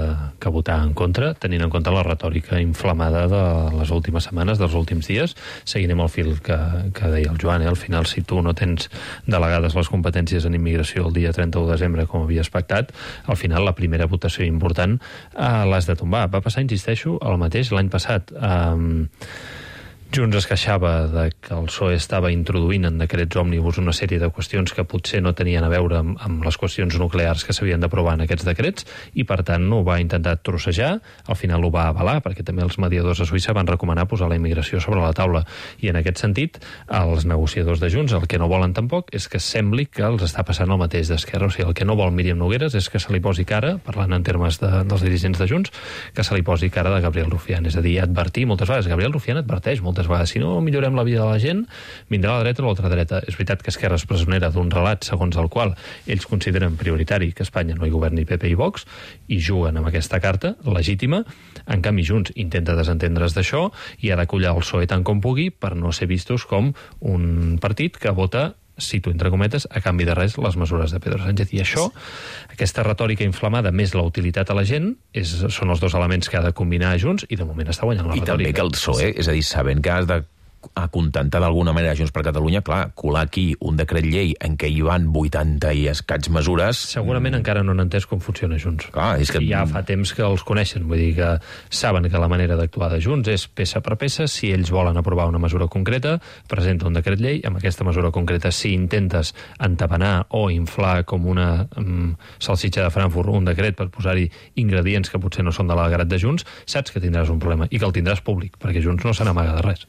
que votar en contra, tenint en compte la retòrica inflamada de les últimes setmanes, dels últims dies. Seguirem el fil que, que deia el Joan, eh? Al final, si tu no tens delegades les competències en immigració el dia trenta-u de desembre, com havia expectat, al final la primera votació important eh, l'has de tombar. Va passar, insisteixo, el mateix l'any passat. Eh, Junts es queixava de que el P S O E estava introduint en decrets òmnibus una sèrie de qüestions que potser no tenien a veure amb, amb les qüestions nuclears que s'havien d'aprovar en aquests decrets, i per tant ho va intentar trossejar. Al final ho va avalar, perquè també els mediadors a Suïssa van recomanar posar la immigració sobre la taula, i en aquest sentit els negociadors de Junts el que no volen tampoc és que sembli que els està passant el mateix d'Esquerra. O sigui, el que no vol Míriam Nogueras és que se li posi cara, parlant en termes de, dels dirigents de Junts, que se li posi cara de Gabriel Rufián. És a dir, advertir moltes vegades. Gabriel Rufián adverteix moltes vegades, si no millorem la vida de la gent, vindrà la dreta o l'ultradreta. És veritat que Esquerra és presonera d'un relat segons el qual ells consideren prioritari que a Espanya no hi governi P P i Vox, i juguen amb aquesta carta legítima. En canvi, Junts intenta desentendre's d'això i ha de collar el P S O E tant com pugui per no ser vistos com un partit que vota, cito entre cometes, a canvi de res les mesures de Pedro Sánchez. I això, aquesta retòrica inflamada més la utilitat a la gent, és, són els dos elements que ha de combinar Junts, i de moment està guanyant la I retòrica. I també que el P S O E, és a dir, sabent que has de acontentar d'alguna manera Junts per Catalunya, clar, colar aquí un decret llei en què hi van vuitanta i escaig mesures... Segurament mm. encara no han entès com funciona Junts. Clar, és que... I ja fa temps que els coneixen, vull dir que saben que la manera d'actuar de Junts és peça per peça. Si ells volen aprovar una mesura concreta, presenta un decret llei. Amb aquesta mesura concreta, si intentes entabanar o inflar com una um, salsitxa de Frankfurt un decret per posar-hi ingredients que potser no són de l'agrat de Junts, saps que tindràs un problema i que el tindràs públic, perquè Junts no se n'amaga de res.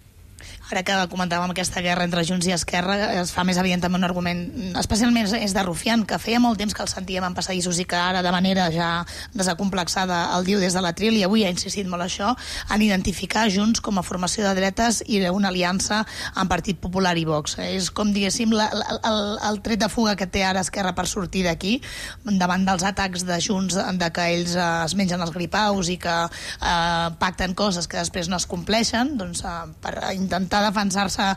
Ara que comentàvem aquesta guerra entre Junts i Esquerra, es fa més evident també un argument, especialment és de Rufián, que feia molt temps que el sentíem en passadissos i que ara de manera ja desacomplexada el diu des de l'atril, i avui ha insistit molt això, en identificar Junts com a formació de dretes i una aliança amb Partit Popular i Vox. És com, diguéssim, la, el, el tret de fuga que té ara Esquerra per sortir d'aquí, davant dels atacs de Junts, de que ells eh, es mengen els gripaus i que eh, pacten coses que després no es compleixen, doncs eh, per intentar intentar defensar-se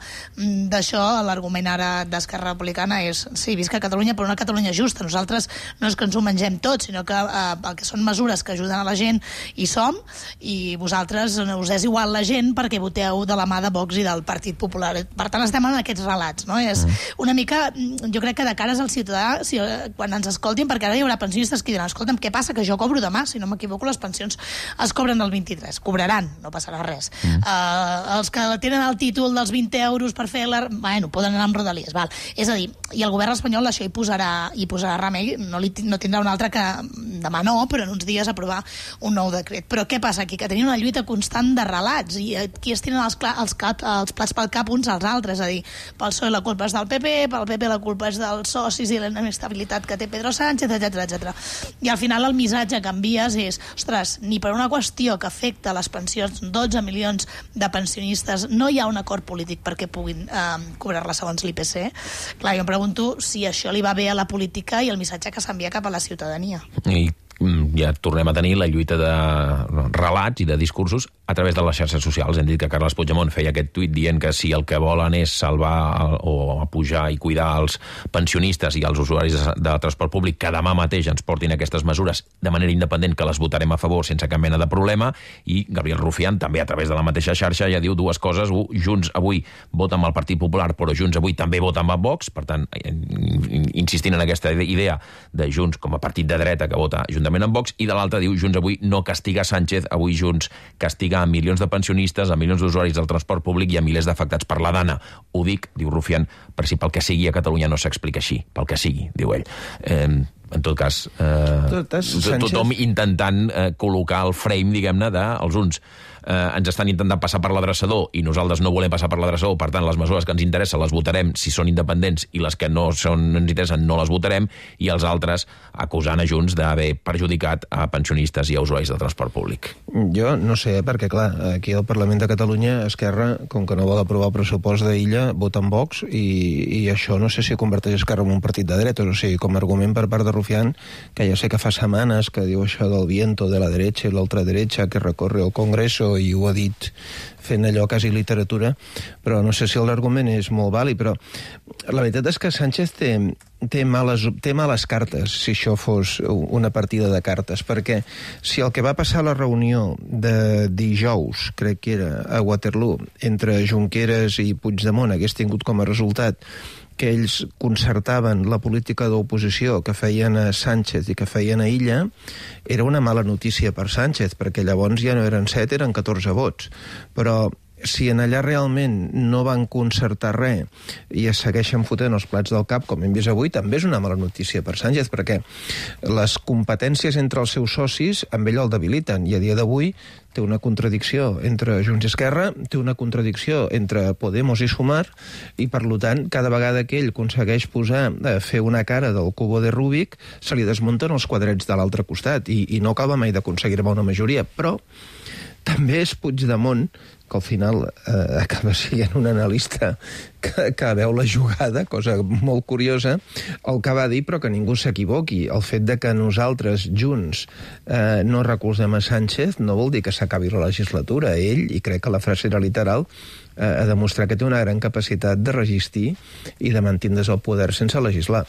d'això, l'argument ara d'Esquerra Republicana és, sí, visca Catalunya, però una Catalunya justa. Nosaltres no és que ens ho mengem tot, sinó que eh, el que són mesures que ajuden a la gent hi som, i vosaltres us és igual la gent perquè voteu de la mà de Vox i del Partit Popular. Per tant, estem en aquests relats, no? És una mica, jo crec que de cares al ciutadà, si, quan ens escoltin, perquè ara hi haurà pensionistes que diran, escolta'm, què passa, que jo cobro demà? Si no m'equivoco, les pensions es cobren el vint-i-tres. Cobraran, no passarà res. Mm. Uh, els que tenen el títol dels vint euros per fer la... Bueno, poden anar amb rodalies, val. És a dir, i el govern espanyol això hi posarà, hi posarà remei, no, li, no tindrà un altre que demà no, però en uns dies aprovar un nou decret. Però què passa aquí? Que tenim una lluita constant de relats, i aquí es tenen els, els, cap, els plats pel cap uns als altres, és a dir, pel P S O E la culpa és del P P, pel P P la culpa és dels socis i la inestabilitat que té Pedro Sánchez, etcètera, etcètera. I al final el missatge que envies és, ostres, ni per una qüestió que afecta les pensions, dotze milions de pensionistes, no hi ha un acord polític perquè puguin eh, cobrar-la segons l'I P C. Clar, jo em pregunto si això li va bé a la política i el missatge que s'envia cap a la ciutadania. I ja tornem a tenir la lluita de relats i de discursos a través de les xarxes socials. Hem dit que Carles Puigdemont feia aquest tuit dient que si el que volen és salvar o pujar i cuidar els pensionistes i els usuaris de transport públic, que demà mateix ens portin aquestes mesures de manera independent, que les votarem a favor sense cap mena de problema. I Gabriel Rufián, també a través de la mateixa xarxa, ja diu dues coses. Un, Junts avui vota amb el Partit Popular, però Junts avui també vota amb Vox, per tant, insistint en aquesta idea de Junts com a partit de dreta que vota juntament amb Vox, i de l'altra diu Junts avui no castiga Sánchez, avui Junts castiga a milions de pensionistes, a milions d'usuaris del transport públic i a milers d'afectats per la dana. Ho dic, diu Rufián, per si pel que sigui a Catalunya no s'explica així, pel que sigui, diu ell. Eh, en tot cas, eh, tot Sánchez... tothom intentant eh, col·locar el frame, diguem-ne, dels uns eh, ens estan intentant passar per l'adreçador i nosaltres no volem passar per l'adreçador, per tant, les mesures que ens interessen les votarem si són independents i les que no, són, no ens interessen no les votarem, i els altres acusant a Junts d'haver perjudicat a pensionistes i a usuaris de transport públic. Jo no sé, perquè clar, aquí al Parlament de Catalunya Esquerra, com que no vol aprovar el pressupost d'Illa, vota amb Vox, i, i això no sé si converteix Esquerra en un partit de dretes, o sigui, com a argument per part de Rufián, que ja sé que fa setmanes que diu això del viento de la derecha i l'ultraderecha que recorre el Congreso, i ho ha dit fent allò quasi literatura, però no sé si l'argument és molt vàlid, però la veritat és que Sánchez té, té, males, té males cartes, si això fos una partida de cartes, perquè si el que va passar a la reunió de dijous, crec que era a Waterloo, entre Junqueras i Puigdemont hagués tingut com a resultat que ells concertaven la política d'oposició que feien a Sánchez i que feien a Illa, era una mala notícia per Sánchez, perquè llavors ja no eren set, eren catorze vots. Però si en allà realment no van concertar res i es segueixen fotent els plats del cap, com hem vist avui, també és una mala notícia per Sánchez, perquè les competències entre els seus socis amb ell el debiliten, i a dia d'avui té una contradicció entre Junts i Esquerra, té una contradicció entre Podemos i Sumar, i per tant, cada vegada que ell aconsegueix posar, eh, fer una cara del cubo de Rubik, se li desmunten els quadrets de l'altre costat, i, i no acaba mai d'aconseguir una majoria. Però també és Puigdemont, que al final eh, acaba sent un analista que, que veu la jugada, cosa molt curiosa, el que va dir, però que ningú s'equivoqui. El fet de que nosaltres, Junts, eh, no recolzem a Sánchez no vol dir que s'acabi la legislatura. Ell, i crec que la frase era literal, eh, ha demostrat que té una gran capacitat de resistir i de mantindre's al poder sense legislar.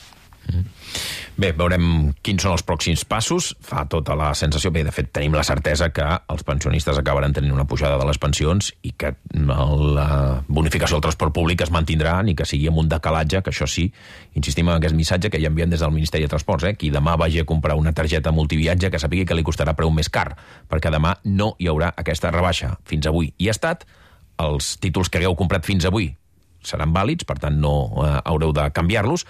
Bé, veurem quins són els pròxims passos. Fa tota la sensació, bé, de fet tenim la certesa que els pensionistes acabaran tenint una pujada de les pensions i que la bonificació del transport públic es mantindrà, ni que sigui amb un decalatge, que això sí, insistim en aquest missatge que ja enviem des del Ministeri de Transports, eh? Qui demà vagi a comprar una targeta multiviatge que sàpiga que li costarà preu més car, perquè demà no hi haurà aquesta rebaixa. Fins avui hi ha estat, els títols que hagueu comprat fins avui seran vàlids, per tant no eh, haureu de canviar-los,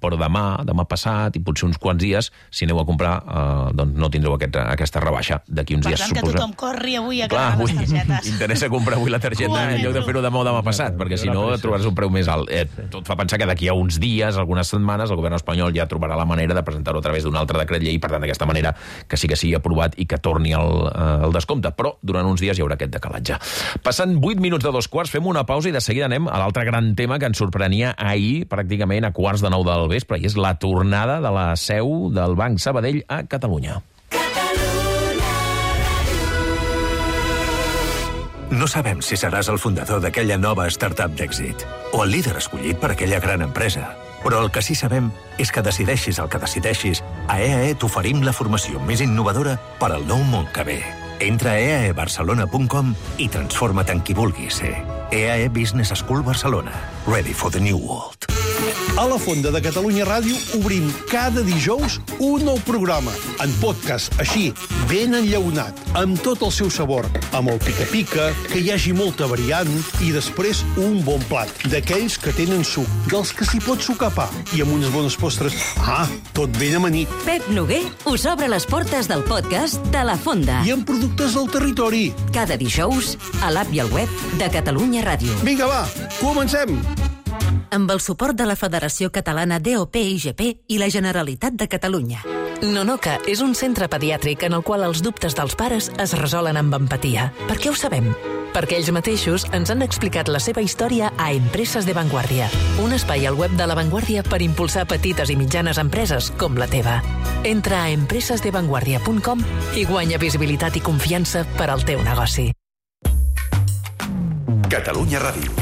però demà, demà passat i potser uns quants dies, si aneu a comprar, eh, doncs no tindreu aquest, aquesta rebaixa d'aquí uns per dies. Per tant, suposa... que tothom corri avui a Clar, acabar les targetes. Interessa comprar avui la targeta en lloc de fer-ho demà o demà passat, perquè si no trobaràs un preu més alt. Eh, tot fa pensar que d'aquí a uns dies, algunes setmanes, el govern espanyol ja trobarà la manera de presentar-ho a través d'un altre decret llei, per tant, d'aquesta manera que sí que sigui aprovat i que torni el, eh, el descompte. Però durant uns dies hi haurà aquest decalatge. Passant vuit minuts de dos quarts, fem una pausa i de seguida anem a l'altre gran tema que ens sorprenia ahir, pràcticament a quarts de nou del vespre, i és la tornada de la seu del Banc Sabadell a Catalunya. No sabem si seràs el fundador d'aquella nova startup d'èxit o el líder escollit per aquella gran empresa. Però el que sí sabem és que decideixis el que decideixis, a E A E t'oferim la formació més innovadora per al nou món que ve. Entra a e a e barcelona punt com i transforma't en qui vulguis ser. E A E Business School Barcelona. Ready for the new world. A la Fonda de Catalunya Ràdio obrim cada dijous un nou programa, en podcast, així, ben enllaunat, amb tot el seu sabor, amb el pica-pica, que hi hagi molta variant, i després un bon plat, d'aquells que tenen suc, dels que s'hi pot sucar pa, i amb unes bones postres. Ah, tot ben amanit. Pep Noguer us obre les portes del podcast de la Fonda. I amb productes del territori. Cada dijous, a l'app i al web de Catalunya Ràdio. Vinga, va, comencem! Amb el suport de la Federació Catalana D O P I G P i la Generalitat de Catalunya. Nonoca és un centre pediàtric en el qual els dubtes dels pares es resolen amb empatia. Per què ho sabem? Perquè ells mateixos ens han explicat la seva història a Empreses de Vanguardia, un espai al web de La Vanguardia per impulsar petites i mitjanes empreses com la teva. Entra a empreses de vanguardia punt com i guanya visibilitat i confiança per al teu negoci. Catalunya Ràdio.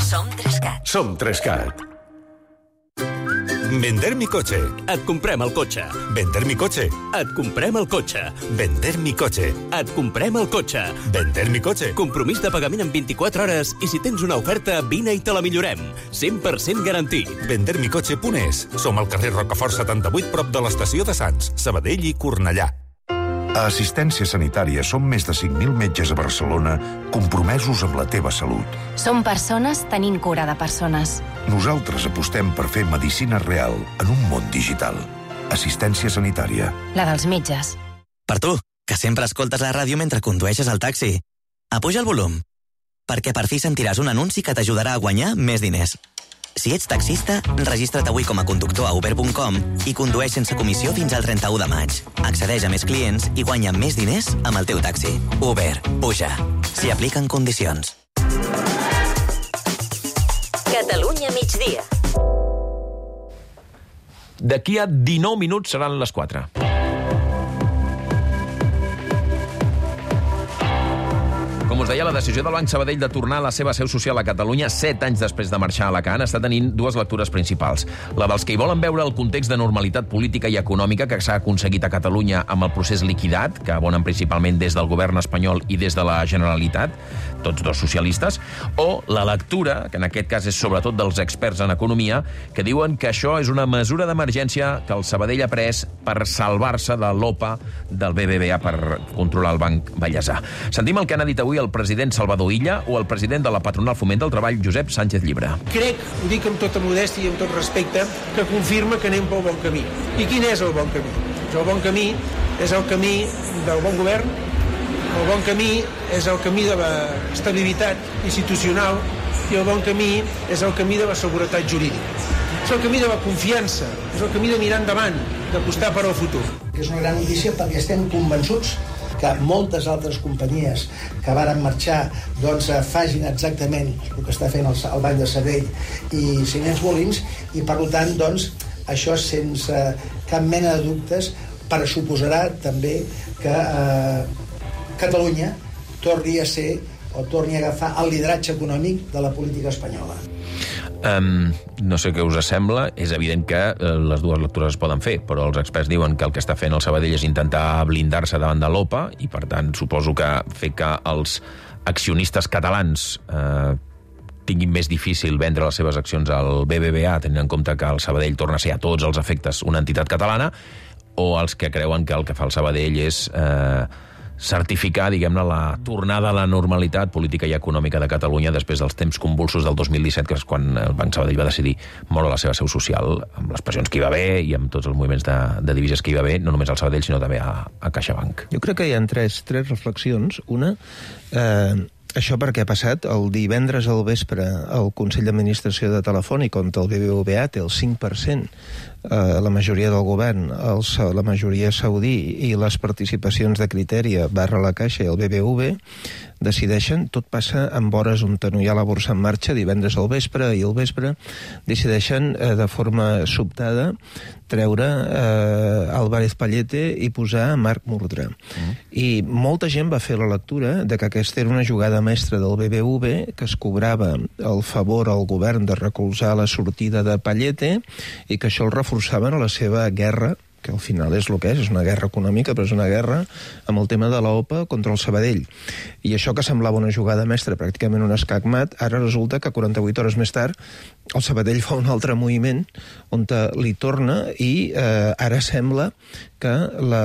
Som Trescat. Som Trescat. Vender mi coche. Et comprem el cotxe. Vender mi coche. Et comprem el cotxe. Vender mi coche. Et comprem el cotxe. Vender mi coche. Compromís de pagament en vint-i-quatre hores i si tens una oferta, vine i te la millorem. cent per cent garantit. vender mi coche punt es. Som al carrer Rocafort setanta-vuit, prop de l'estació de Sants, Sabadell i Cornellà. A Assistència Sanitària som més de cinc mil metges a Barcelona compromesos amb la teva salut. Som persones tenint cura de persones. Nosaltres apostem per fer medicina real en un món digital. Assistència Sanitària. La dels metges. Per tu, que sempre escoltes la ràdio mentre condueixes el taxi. Apuja el volum, perquè per fi sentiràs un anunci que t'ajudarà a guanyar més diners. Si ets taxista, registra't avui com a conductor a uber punt com i condueix sense comissió fins al trenta-u de maig. Accedeix a més clients i guanya més diners amb el teu taxi. Uber, puja. S'hi apliquen condicions. Catalunya migdia. D'aquí a dinou minuts seran les quatre. Com us deia, la decisió del Banc Sabadell de tornar a la seva seu social a Catalunya set anys després de marxar a Alacant està tenint dues lectures principals. La dels que hi volen veure el context de normalitat política i econòmica que s'ha aconseguit a Catalunya amb el procés liquidat, que abonen principalment des del govern espanyol i des de la Generalitat, tots dos socialistes, o la lectura, que en aquest cas és sobretot dels experts en economia, que diuen que això és una mesura d'emergència que el Sabadell ha pres per salvar-se de l'O P A del B B V A per controlar el Banc Bellesà. Sentim el que han dit avui el president Salvador Illa o el president de la patronal Foment del Treball, Josep Sánchez Llibre. Crec, ho dic amb tota modèstia i amb tot respecte, que confirma que anem pel bon camí. I quin és el bon camí? El bon camí és el camí del bon govern, el bon camí és el camí de l'estabilitat institucional i el bon camí és el camí de la seguretat jurídica. És el camí de la confiança, és el camí de mirar endavant, d'apostar per al futur. És una gran notícia perquè estem convençuts que moltes altres companyies que varen marxar doncs, facin exactament el que està fent el, el Banc de Sabadell i Ciments Molins, i per tant doncs, això sense cap mena de dubtes pressuposarà també que eh, Catalunya torni a ser o torni a agafar el lideratge econòmic de la política espanyola. Um, no sé què us sembla. És evident que uh, les dues lectures es poden fer, però els experts diuen que el que està fent el Sabadell és intentar blindar-se davant de l'O P A i, per tant, suposo que fer que els accionistes catalans uh, tinguin més difícil vendre les seves accions al B B V A, tenint en compte que el Sabadell torna a ser a tots els efectes una entitat catalana, o els que creuen que el que fa el Sabadell és Uh, certificar, diguem-ne, la tornada a la normalitat política i econòmica de Catalunya després dels temps convulsos del dos mil disset, que és quan el Banc Sabadell va decidir moure la seva seu social, amb les pressions que hi va haver i amb tots els moviments de, de divises que hi va haver, no només al Sabadell, sinó també a, a CaixaBank. Jo crec que hi ha tres, tres reflexions. Una, eh, això perquè ha passat el divendres al vespre el Consell d'Administració de Telefònica, on el B B V A té el cinc per cent, eh, la majoria del govern, els, la majoria saudí i les participacions de Criteria barra la Caixa i el B B V, decideixen, tot passa en hores on no hi ha la borsa en marxa, divendres al vespre i al vespre, decideixen eh, de forma sobtada treure eh, Álvarez Pallete i posar Marc Murtra. Mm. I molta gent va fer la lectura de que aquesta era una jugada mestra del B B V, que es cobrava el favor al govern de recolzar la sortida de Pallete i que això el reforçaven a la seva guerra, que al final és el que és, és una guerra econòmica, però és una guerra amb el tema de l'OPA contra el Sabadell. I això que semblava una jugada mestra, pràcticament un escac-mat, ara resulta que quaranta-vuit hores més tard el Sabadell fa un altre moviment on li torna i eh, ara sembla que la,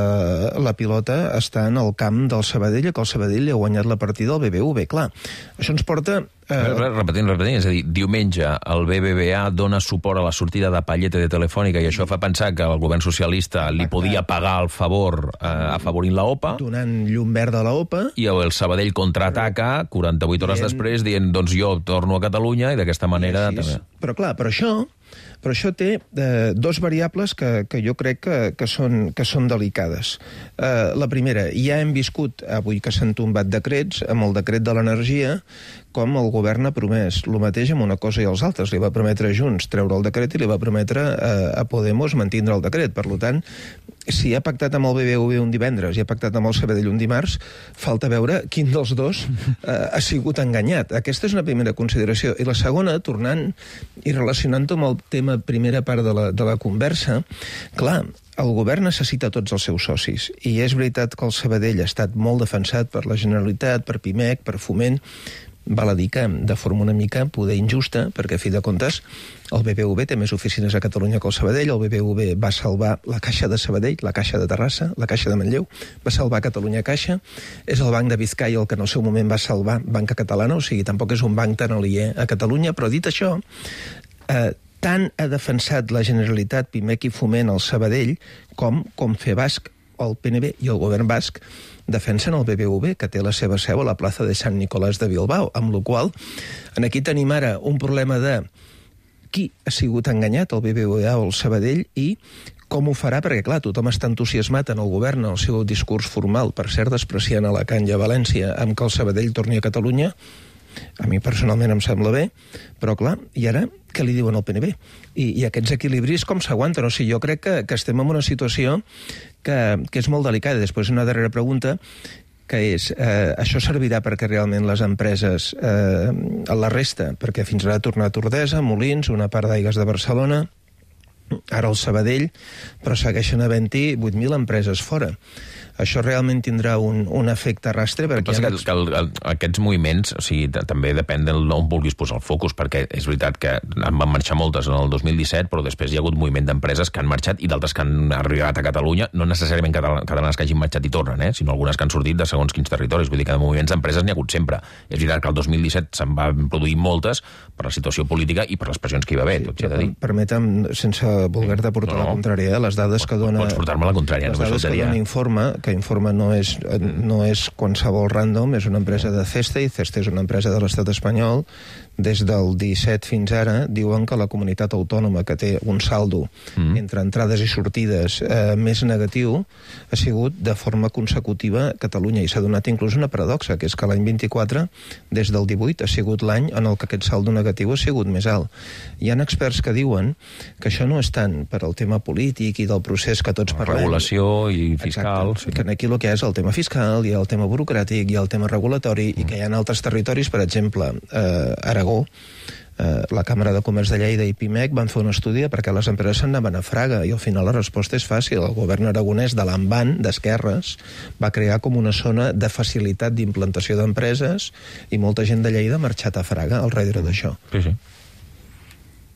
la pilota està en el camp del Sabadell i que el Sabadell li ha guanyat la partida al B B V. Clar, això ens porta... Eh... Repetint, repetint, és a dir, diumenge el B B V A dona suport a la sortida de Pallete de Telefònica i això fa pensar que el govern socialista li podia pagar el favor eh, afavorint la OPA. Donant llum verda a la OPA. I el Sabadell contraataca quaranta-vuit hores dient... després dient, doncs jo torno a Catalunya i d'aquesta manera... Sí, també. Però clar, però això... Però això té eh, dos variables que, que jo crec que, que, són, que són delicades. Eh, la primera, ja hem viscut, avui que s'han tombat decrets, amb el decret de l'energia, com el govern ha promès. El mateix amb una cosa i els altres. Li va prometre a Junts treure el decret i li va prometre eh, a Podemos mantindre el decret. Per tant, si ha pactat amb el B B V un divendres i ha pactat amb el Sabadell un dimarts, falta veure quin dels dos eh, ha sigut enganyat. Aquesta és una primera consideració. I la segona, tornant i relacionant-ho amb el tema primera part de la, de la conversa, clar, el govern necessita tots els seus socis, i és veritat que el Sabadell ha estat molt defensat per la Generalitat, per Pimec, per Foment, val a dir que de forma una mica poder injusta, perquè a fi de comptes el B B V té més oficines a Catalunya que el Sabadell, el B B V va salvar la Caixa de Sabadell, la Caixa de Terrassa, la Caixa de Manlleu, va salvar Catalunya Caixa, és el Banc de Bizkaia el que en el seu moment va salvar Banca Catalana, o sigui, tampoc és un banc tan aliè a Catalunya, però dit això, eh, tant ha defensat la Generalitat, Pimec i Foment al Sabadell, com Confebasc, el P N B i el govern basc defensen el B B V, que té la seva seu a la plaça de Sant Nicolás de Bilbao, amb la qual cosa aquí tenim ara un problema de qui ha sigut enganyat, el B B V o el Sabadell, i com ho farà, perquè clar, tothom està entusiasmat en el govern, en el seu discurs formal, per cert, despreciant Alacant i a València, amb que el Sabadell torni a Catalunya. A mi personalment em sembla bé, però clar, i ara què li diuen al P N B? I, i aquests equilibris com s'aguanten? O sigui, jo crec que, que estem en una situació que, que és molt delicada. Després una darrera pregunta, que és, eh, això servirà perquè realment les empreses, eh, a la resta, perquè fins ara ha tornat Ordesa, Molins, una part d'Aigües de Barcelona, ara el Sabadell, però segueixen havent-hi vuit mil empreses fora. Això realment tindrà un, un efecte rastre. Perquè que, que el, el, aquests moviments, o sigui, també depèn d'on vulguis posar el focus, perquè és veritat que en van marxar moltes en el dos mil disset, però després hi ha hagut moviment d'empreses que han marxat i d'altres que han arribat a Catalunya, no necessàriament catalanes que hagin marxat i tornen, eh, sinó algunes que han sortit de segons quins territoris. Vull dir que de moviments d'empreses n'hi ha hagut sempre. És veritat que el dos mil disset se'n van produir moltes per la situació política i per les pressions que hi va haver, tot s'ha de dir. Permetem, sense voler-te portar no, no. la contrària, les dades que dona... Pots portar-me la contrària, les dades que dona Informa, que Informa no és, no és qualsevol random, és una empresa de Cesta, i Cesta és una empresa de l'estat espanyol. Des del disset fins ara diuen que la comunitat autònoma que té un saldo mm. entre entrades i sortides eh, més negatiu ha sigut de forma consecutiva Catalunya, i s'ha donat inclús una paradoxa, que és que l'any vint-i-quatre, des del divuit, ha sigut l'any en el que aquest saldo negatiu ha sigut més alt. Hi ha experts que diuen que això no és tant per al tema polític i del procés que tots parlem. Regulació i fiscal. Exacte, sí. Que aquí el que és el tema fiscal, hi ha el tema burocràtic, hi ha el tema regulatori, mm. i que hi ha altres territoris, per exemple, eh, Aragó, Eh, la Càmera de Comerç de Lleida i Pimec van fer un estudi perquè les empreses se'n anaven a Fraga, i al final la resposta és fàcil. El govern aragonès de l'Envan, d'esquerres, va crear com una zona de facilitat d'implantació d'empreses, i molta gent de Lleida ha marxat a Fraga al darrere d'això. Sí, sí.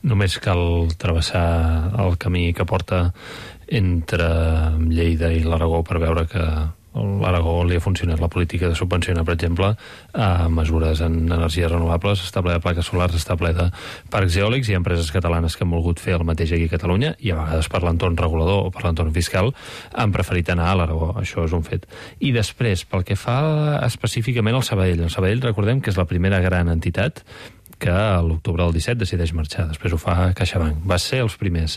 Només cal travessar el camí que porta entre Lleida i l'Aragó per veure que a l'Aragó li ha funcionat la política de subvencionar, per exemple, a mesures en energies renovables, està ple de plaques solars, està ple de parcs eòlics. Hi ha empreses catalanes que han volgut fer el mateix aquí a Catalunya, i a vegades per l'entorn regulador o per l'entorn fiscal han preferit anar a l'Aragó. Això és un fet. I després, pel que fa específicament al Sabadell, el Sabadell, recordem que és la primera gran entitat que a l'octubre del disset decideix marxar. Després ho fa CaixaBank. Va ser els primers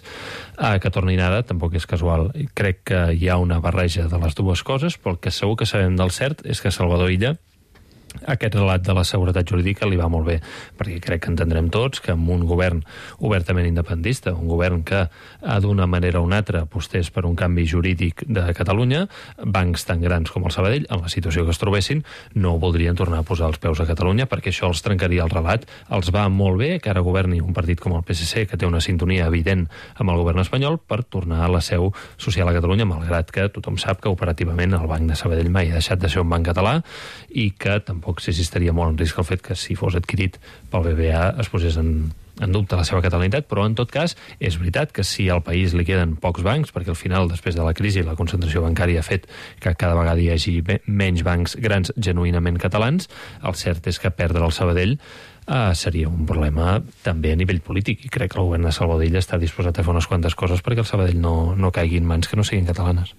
a que tornin ara, tampoc és casual. Crec que hi ha una barreja de les dues coses, però el que segur que sabem del cert és que Salvador Illa aquest relat de la seguretat jurídica li va molt bé, perquè crec que entendrem tots que amb un govern obertament independentista, un govern que d'una manera o una altra apostés per un canvi jurídic de Catalunya, bancs tan grans com el Sabadell, en la situació que es trobessin, no voldrien tornar a posar els peus a Catalunya, perquè això els trencaria el relat. Els va molt bé que ara governi un partit com el P S C, que té una sintonia evident amb el govern espanyol, per tornar a la seu social a Catalunya, malgrat que tothom sap que operativament el Banc de Sabadell mai ha deixat de ser un banc català i que tampoc s'existaria molt en risc el fet que si fos adquirit pel B B A es posés en, en dubte la seva catalanitat, però en tot cas és veritat que si al país li queden pocs bancs, perquè al final, després de la crisi, la concentració bancària ha fet que cada vegada hi hagi menys bancs grans genuïnament catalans, el cert és que perdre el Sabadell Uh, seria un problema també a nivell polític, i crec que el govern de Sabadell està disposat a fer unes quantes coses perquè el Sabadell no, no caigui en mans que no siguin catalanes.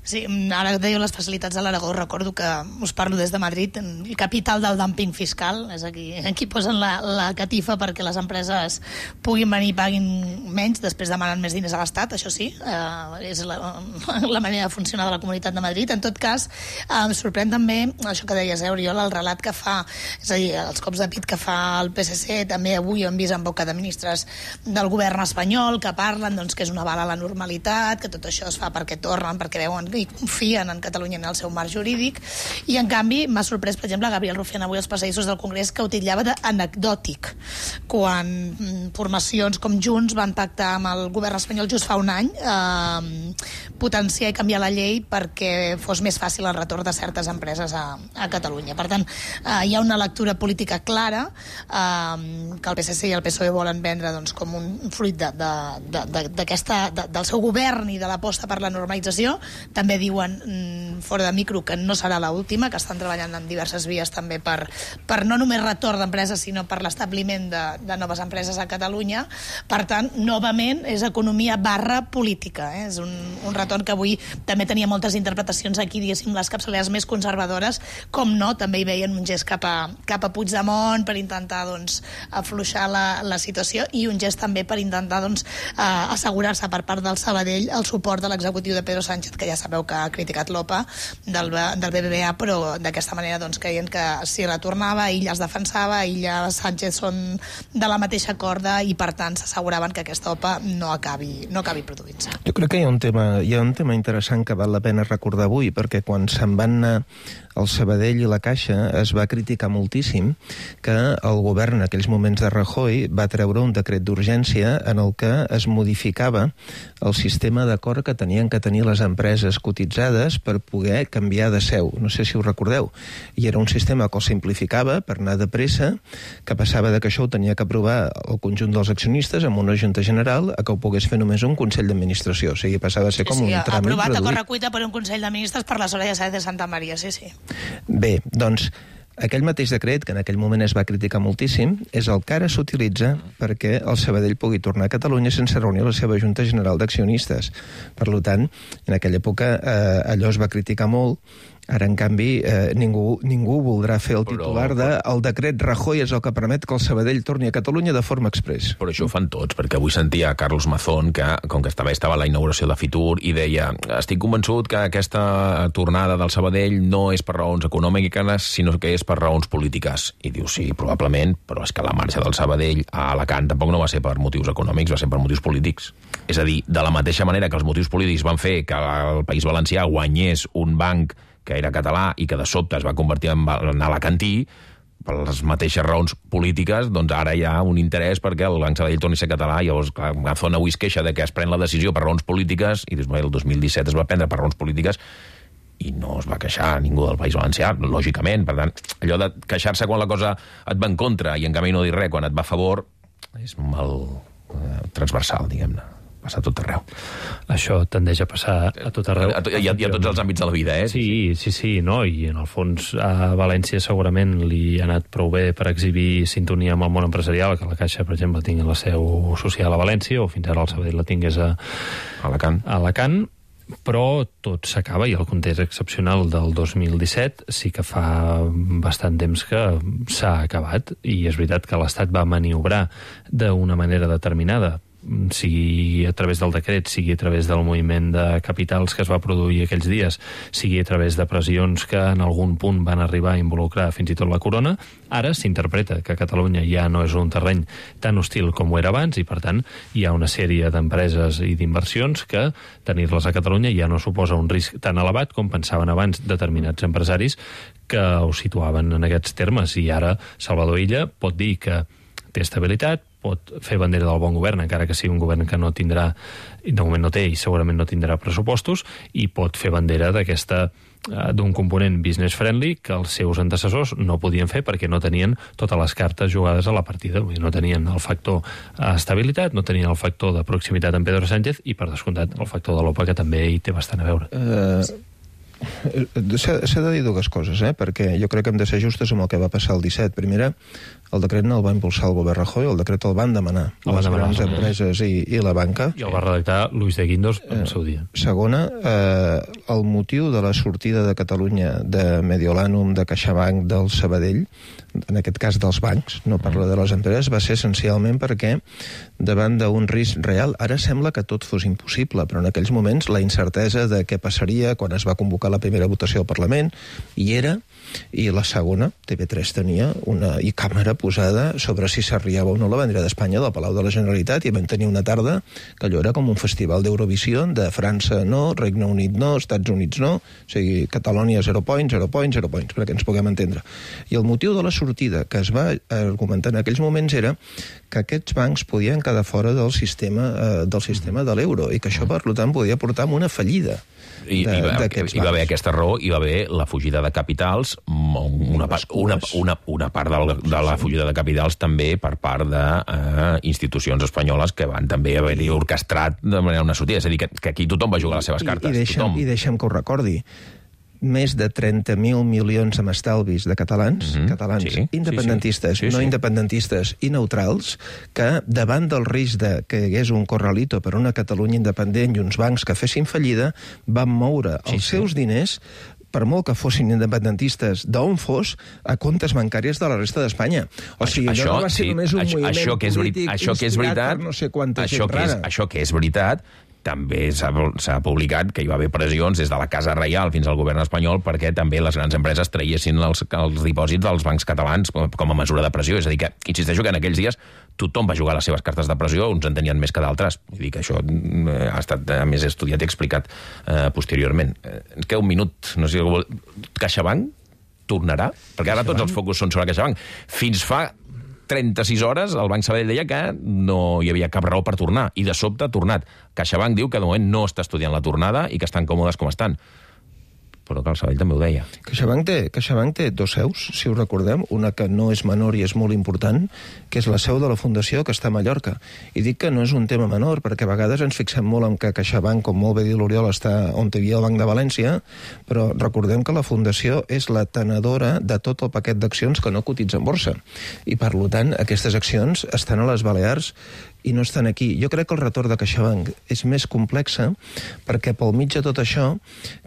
Sí, ara dèieu les facilitats de l'Aragó, recordo que us parlo des de Madrid, el capital del dumping fiscal, és aquí, aquí posen la, la catifa perquè les empreses puguin venir i paguin menys, després demanen més diners a l'Estat, això sí, eh, és la, la manera de funcionar de la Comunitat de Madrid. En tot cas, eh, em sorprèn també això que deies, eh, Oriol, el relat que fa, és a dir, els cops de pit que fa el P S C, també avui ho hem vist en boca de ministres del govern espanyol, que parlen doncs, que és una bala a la normalitat, que tot això es fa perquè tornen, perquè veuen i confien en Catalunya en el seu marc jurídic, i en canvi m'ha sorprès, per exemple, Gabriel Rufián avui als passadissos del Congrés, que utilitzava d'anecdòtic quan formacions com Junts van pactar amb el govern espanyol just fa un any eh, potenciar i canviar la llei perquè fos més fàcil el retorn de certes empreses a, a Catalunya. Per tant, eh, hi ha una lectura política clara eh, que el P S C i el P S O E volen vendre doncs, com un fruit de, de, de, de, d'aquesta, de, del seu govern i de l'aposta per la normalització. També diuen mm, fora de micro que no serà l'última, que estan treballant en diverses vies també per, per no només retorn d'empreses, sinó per l'establiment de, de noves empreses a Catalunya. Per tant, novament, és economia barra política. Eh? És un, un retorn que avui també tenia moltes interpretacions aquí, diguéssim, les capçaleres més conservadores, com no, també hi veien un gest cap a, cap a Puigdemont per intentar doncs, afluixar la, la situació, i un gest també per intentar doncs, eh, assegurar-se per part del Sabadell el suport de l'executiu de Pedro Sánchez, que ja sabeu que ha criticat l'OPA del, del B B V A, però d'aquesta manera doncs, creien que si retornava, ella es defensava, ella Sánchez són de la mateixa corda, i per tant s'asseguraven que aquesta OPA no acabi, no acabi produint-se. Jo crec que hi ha un tema, hi ha un tema interessant que val la pena recordar avui, perquè quan se'n van anar el Sabadell i la Caixa es va criticar moltíssim que el govern en aquells moments de Rajoy va treure un decret d'urgència en el que es modificava el sistema d'acord que tenien que tenir les empreses cotitzades per poder canviar de seu. No sé si ho recordeu. I era un sistema que el simplificava per anar de pressa, que passava de que això ho tenia que aprovar el conjunt dels accionistes amb una junta general a que ho pogués fer només un Consell d'Administració. O sigui, passava a ser com sí, sí, un tràmit aprovat reduït. a correcuita per un Consell de Ministres per la Soraya Sáenz de Santa Maria, sí, sí. Bé, doncs, aquell mateix decret, que en aquell moment es va criticar moltíssim, és el que ara s'utilitza perquè el Sabadell pugui tornar a Catalunya sense reunir la seva Junta General d'Accionistes. Per tant, en aquella època eh, allò es va criticar molt. Ara, en canvi, eh, ningú, ningú voldrà fer el titular de el decret Rajoy és el que permet que el Sabadell torni a Catalunya de forma express. Però això ho fan tots, perquè avui sentia Carlos Mazón, que, com que estava, estava a la inauguració de Fitur, i deia, estic convençut que aquesta tornada del Sabadell no és per raons econòmiques, sinó que és per raons polítiques. I diu, sí, probablement, però és que la marxa del Sabadell a Alacant tampoc no va ser per motius econòmics, va ser per motius polítics. És a dir, de la mateixa manera que els motius polítics van fer que el País Valencià guanyés un banc que era català i que de sobte es va convertir en, en alacantí, per les mateixes raons polítiques, doncs ara hi ha un interès perquè el Banc Sabadell torni a ser català, i llavors Mazón avui es queixa de que es pren la decisió per raons polítiques, i el dos mil disset es va prendre per raons polítiques, i no es va queixar ningú del País Valencià, lògicament. Per tant, allò de queixar-se quan la cosa et va en contra i en canvi no dir res quan et va a favor, és molt eh, transversal, diguem-ne. Passa a tot arreu. Això tendeix a passar a tot arreu. A, a, hi, ha, hi ha tots els àmbits de la vida, eh? Sí, sí, sí, no? I en el fons a València segurament li ha anat prou bé per exhibir sintonia amb el món empresarial, que la Caixa, per exemple, tingui la seu social a València, o fins ara el Sabadell la tingués a Alacant. A Alacant, però tot s'acaba, i el context excepcional del dos mil disset sí que fa bastant temps que s'ha acabat, i és veritat que l'Estat va maniobrar d'una manera determinada sigui a través del decret, sigui a través del moviment de capitals que es va produir aquells dies, sigui a través de pressions que en algun punt van arribar a involucrar fins i tot la corona, ara s'interpreta que Catalunya ja no és un terreny tan hostil com ho era abans i, per tant, hi ha una sèrie d'empreses i d'inversions que tenir-les a Catalunya ja no suposa un risc tan elevat com pensaven abans determinats empresaris que ho situaven en aquests termes. I ara Salvador Illa pot dir que té estabilitat, pot fer bandera del bon govern, encara que sigui un govern que no tindrà, de moment no té i segurament no tindrà pressupostos, i pot fer bandera d'aquesta d'un component business friendly que els seus antecessors no podien fer perquè no tenien totes les cartes jugades a la partida. No tenien el factor estabilitat, no tenien el factor de proximitat amb Pedro Sánchez i, per descomptat, el factor de l'O P A, que també hi té bastant a veure. Uh... S'ha de dir dues coses, eh? Perquè jo crec que hem de ser justes amb el que va passar el disset. Primera, el decret no el va impulsar el govern Rajoy, el decret el van demanar el les grans demanar, empreses i, i la banca. I el va redactar Luis de Guindos en el seu dia. Segona, eh, el motiu de la sortida de Catalunya de Mediolanum, de CaixaBank, del Sabadell, en aquest cas dels bancs, no parlo de les empreses, va ser essencialment perquè davant d'un risc real, ara sembla que tot fos impossible, però en aquells moments la incertesa de què passaria quan es va convocar la primera votació al Parlament hi era, i la segona, T V tres tenia una i càmera posada sobre si s'arriava o no la bandera d'Espanya del Palau de la Generalitat, i vam tenir una tarda que allò era com un festival d'Eurovisió, de França no, Regne Unit no, Estats Units no, o sigui, Catalònia zero points, zero points, zero points, perquè ens puguem entendre. I el motiu de la sortida que es va argumentar en aquells moments era que aquests bancs podien quedar fora del sistema, eh, del sistema de l'euro, i que això, per tant, podia portar a una fallida. I, i, va, hi va haver aquesta raó, hi va haver la fugida de capitals, una, una, una, una part de, de la fugida de capitals també per part d'institucions eh, espanyoles que van també haver-hi orquestrat de manera una sortida. És a dir, que, que aquí tothom va jugar les seves cartes. I, i, deixem, i deixem que ho recordi. Més de trenta mil milions amb estalvis de catalans, mm-hmm. catalans sí, independentistes, sí, sí. Sí, sí. no independentistes i neutrals, que davant del risc de que hi hagués un corralito per una Catalunya independent i uns bancs que fessin fallida, van moure sí, els sí. seus diners, per molt que fossin independentistes d'on fos, a comptes bancàries de la resta d'Espanya. O sigui, això, allò no va ser sí, només un això, moviment això que és, polític això que és veritat, per no sé quanta això gent que és, rara. Això que és veritat, també s'ha publicat que hi va haver pressions des de la Casa Reial fins al govern espanyol perquè també les grans empreses traiessin els, els dipòsits dels bancs catalans com, com a mesura de pressió. És a dir que, insisteixo que en aquells dies tothom va jugar les seves cartes de pressió, uns en tenien més que d'altres. Vull dir que això ha estat a més estudiat i explicat eh, posteriorment. Eh, ens queda un minut, no sé si vol... CaixaBank tornarà? Perquè ara tots els focus són sobre CaixaBank. Fins fa trenta-sis hores el Banc Sabadell deia que no hi havia cap raó per tornar, i de sobte ha tornat. CaixaBank diu que de moment no està estudiant la tornada i que estan còmodes com estan. Però que el Sabadell també ho deia. CaixaBank té, CaixaBank té dos seus, si us recordem, una que no és menor i és molt important, que és la seu de la Fundació, que està a Mallorca. I dic que no és un tema menor, perquè a vegades ens fixem molt en que CaixaBank, com molt bé diu l'Oriol, està on hi havia el Banc de València, però recordem que la Fundació és la tenedora de tot el paquet d'accions que no cotitza en borsa. I, per tant, aquestes accions estan a les Balears i no estan aquí. Jo crec que el retorn de CaixaBank és més complexa perquè pel mig de tot això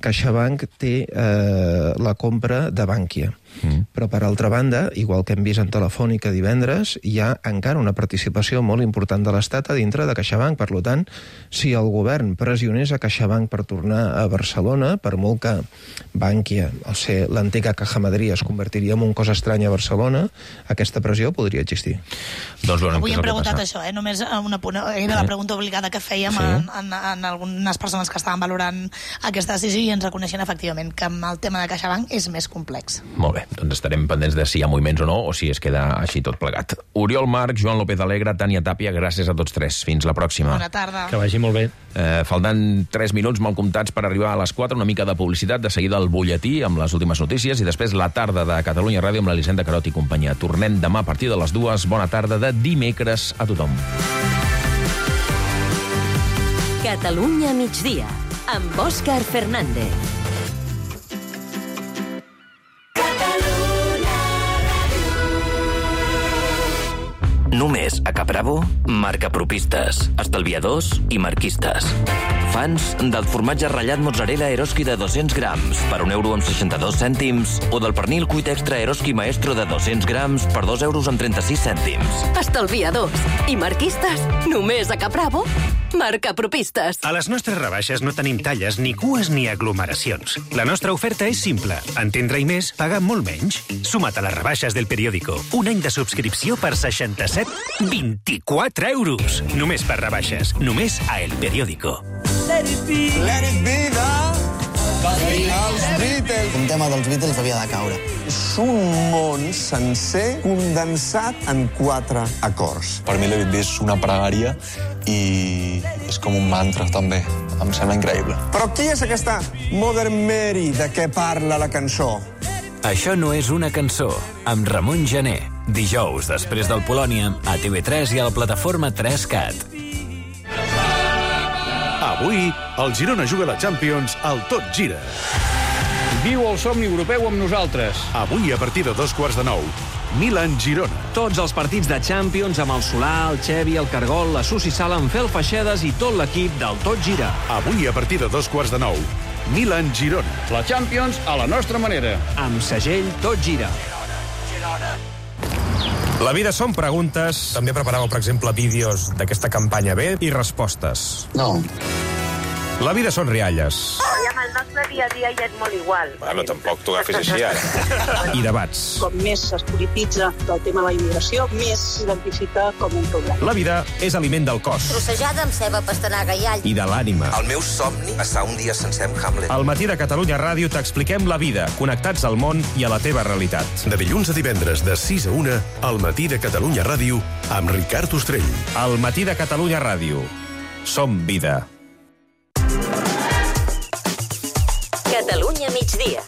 CaixaBank té eh, la compra de Bankia. Mm. Però, per altra banda, igual que hem vist en Telefònica divendres, hi ha encara una participació molt important de l'Estat a dintre de CaixaBank. Per tant, si el govern pressionés a CaixaBank per tornar a Barcelona, per molt que Bankia, al ser l'antiga Caja Madrid, es convertiria en un cos estrany a Barcelona, aquesta pressió podria existir. Doncs, bueno, avui hem preguntat això, eh? Només una punt, era la pregunta obligada que fèiem sí. en, en, en algunes persones que estaven valorant aquesta decisió i ens reconeixen efectivament que amb el tema de CaixaBank és més complex. Molt bé, doncs estarem pendents de si hi ha moviments o no, o si es queda així tot plegat. Oriol Marc, Joan López Alegre, Tània Tàpia, gràcies a tots tres. Fins la pròxima. Bona tarda. Que vagi molt bé. Eh, faltant tres minuts mal comptats per arribar a les quatre, una mica de publicitat, de seguida el butlletí amb les últimes notícies i després la tarda de Catalunya Ràdio amb l'Elisenda Carot i companyia. Tornem demà a partir de les dues. Bona tarda de dimecres a tothom. Catalunya migdia, amb Òscar Fernández. Només a Capravo, marca propistes, estalviadors i marquistes. infants del formatge ratllat mozzarella Eroski de dos-cents grams per un euro amb seixanta-dos cèntims o del pernil cuit extra Eroski Maestro de dos-cents grams per dos euros amb trenta-sis cèntims. Estalviadors i marquistes, només a Capravo, marca propistes. A les nostres rebaixes no tenim talles, ni cues ni aglomeracions. La nostra oferta és simple. Entendre i més, pagar molt menys. Suma't a les rebaixes del Periódico. Un any de subscripció per seixanta-set coma vint-i-quatre euros. Només per rebaixes. Només a El Periódico. Let it be. Let it be, Els Beatles. Un tema dels Beatles havia de caure. És un món sencer condensat en quatre acords. Per mi Let It Be és una pregària i és com un mantra, també. Em sembla increïble. Però qui és aquesta Mother Mary de què parla la cançó? Això no és una cançó, amb Ramon Gené. Dijous, després del Polònia, a T V tres i a la plataforma tres cat. Avui, el Girona juga a la Champions al Tot Gira. Viu el somni europeu amb nosaltres. Avui, a partir de dos quarts de nou, Milan-Girona. Tots els partits de Champions amb el Solà, el Xevi, el Cargol, la Susi Sala, en Fel Feixedes i tot l'equip del Tot Gira. Avui, a partir de dos quarts de nou, Milan-Girona. La Champions a la nostra manera. Amb segell Tot Gira. La vida són preguntes. També preparàveu, per exemple, vídeos d'aquesta campanya B i respostes. No. La vida són rialles. I amb el nostre dia a dia ja és molt igual. Bueno, tampoc t'ho agafis així, ara. I debats. Com més es polititza el tema de la immigració, més s'identifica com un problema. La vida és aliment del cos. Trossejada amb ceba, pastanaga i all. I de l'ànima. El meu somni, passar un dia sencer amb Hamlet. Al matí de Catalunya Ràdio t'expliquem la vida, connectats al món i a la teva realitat. De dilluns a divendres, de sis a una, al matí de Catalunya Ràdio, amb Ricard Ostrell. Al matí de Catalunya Ràdio. Som vida. Catalunya migdia.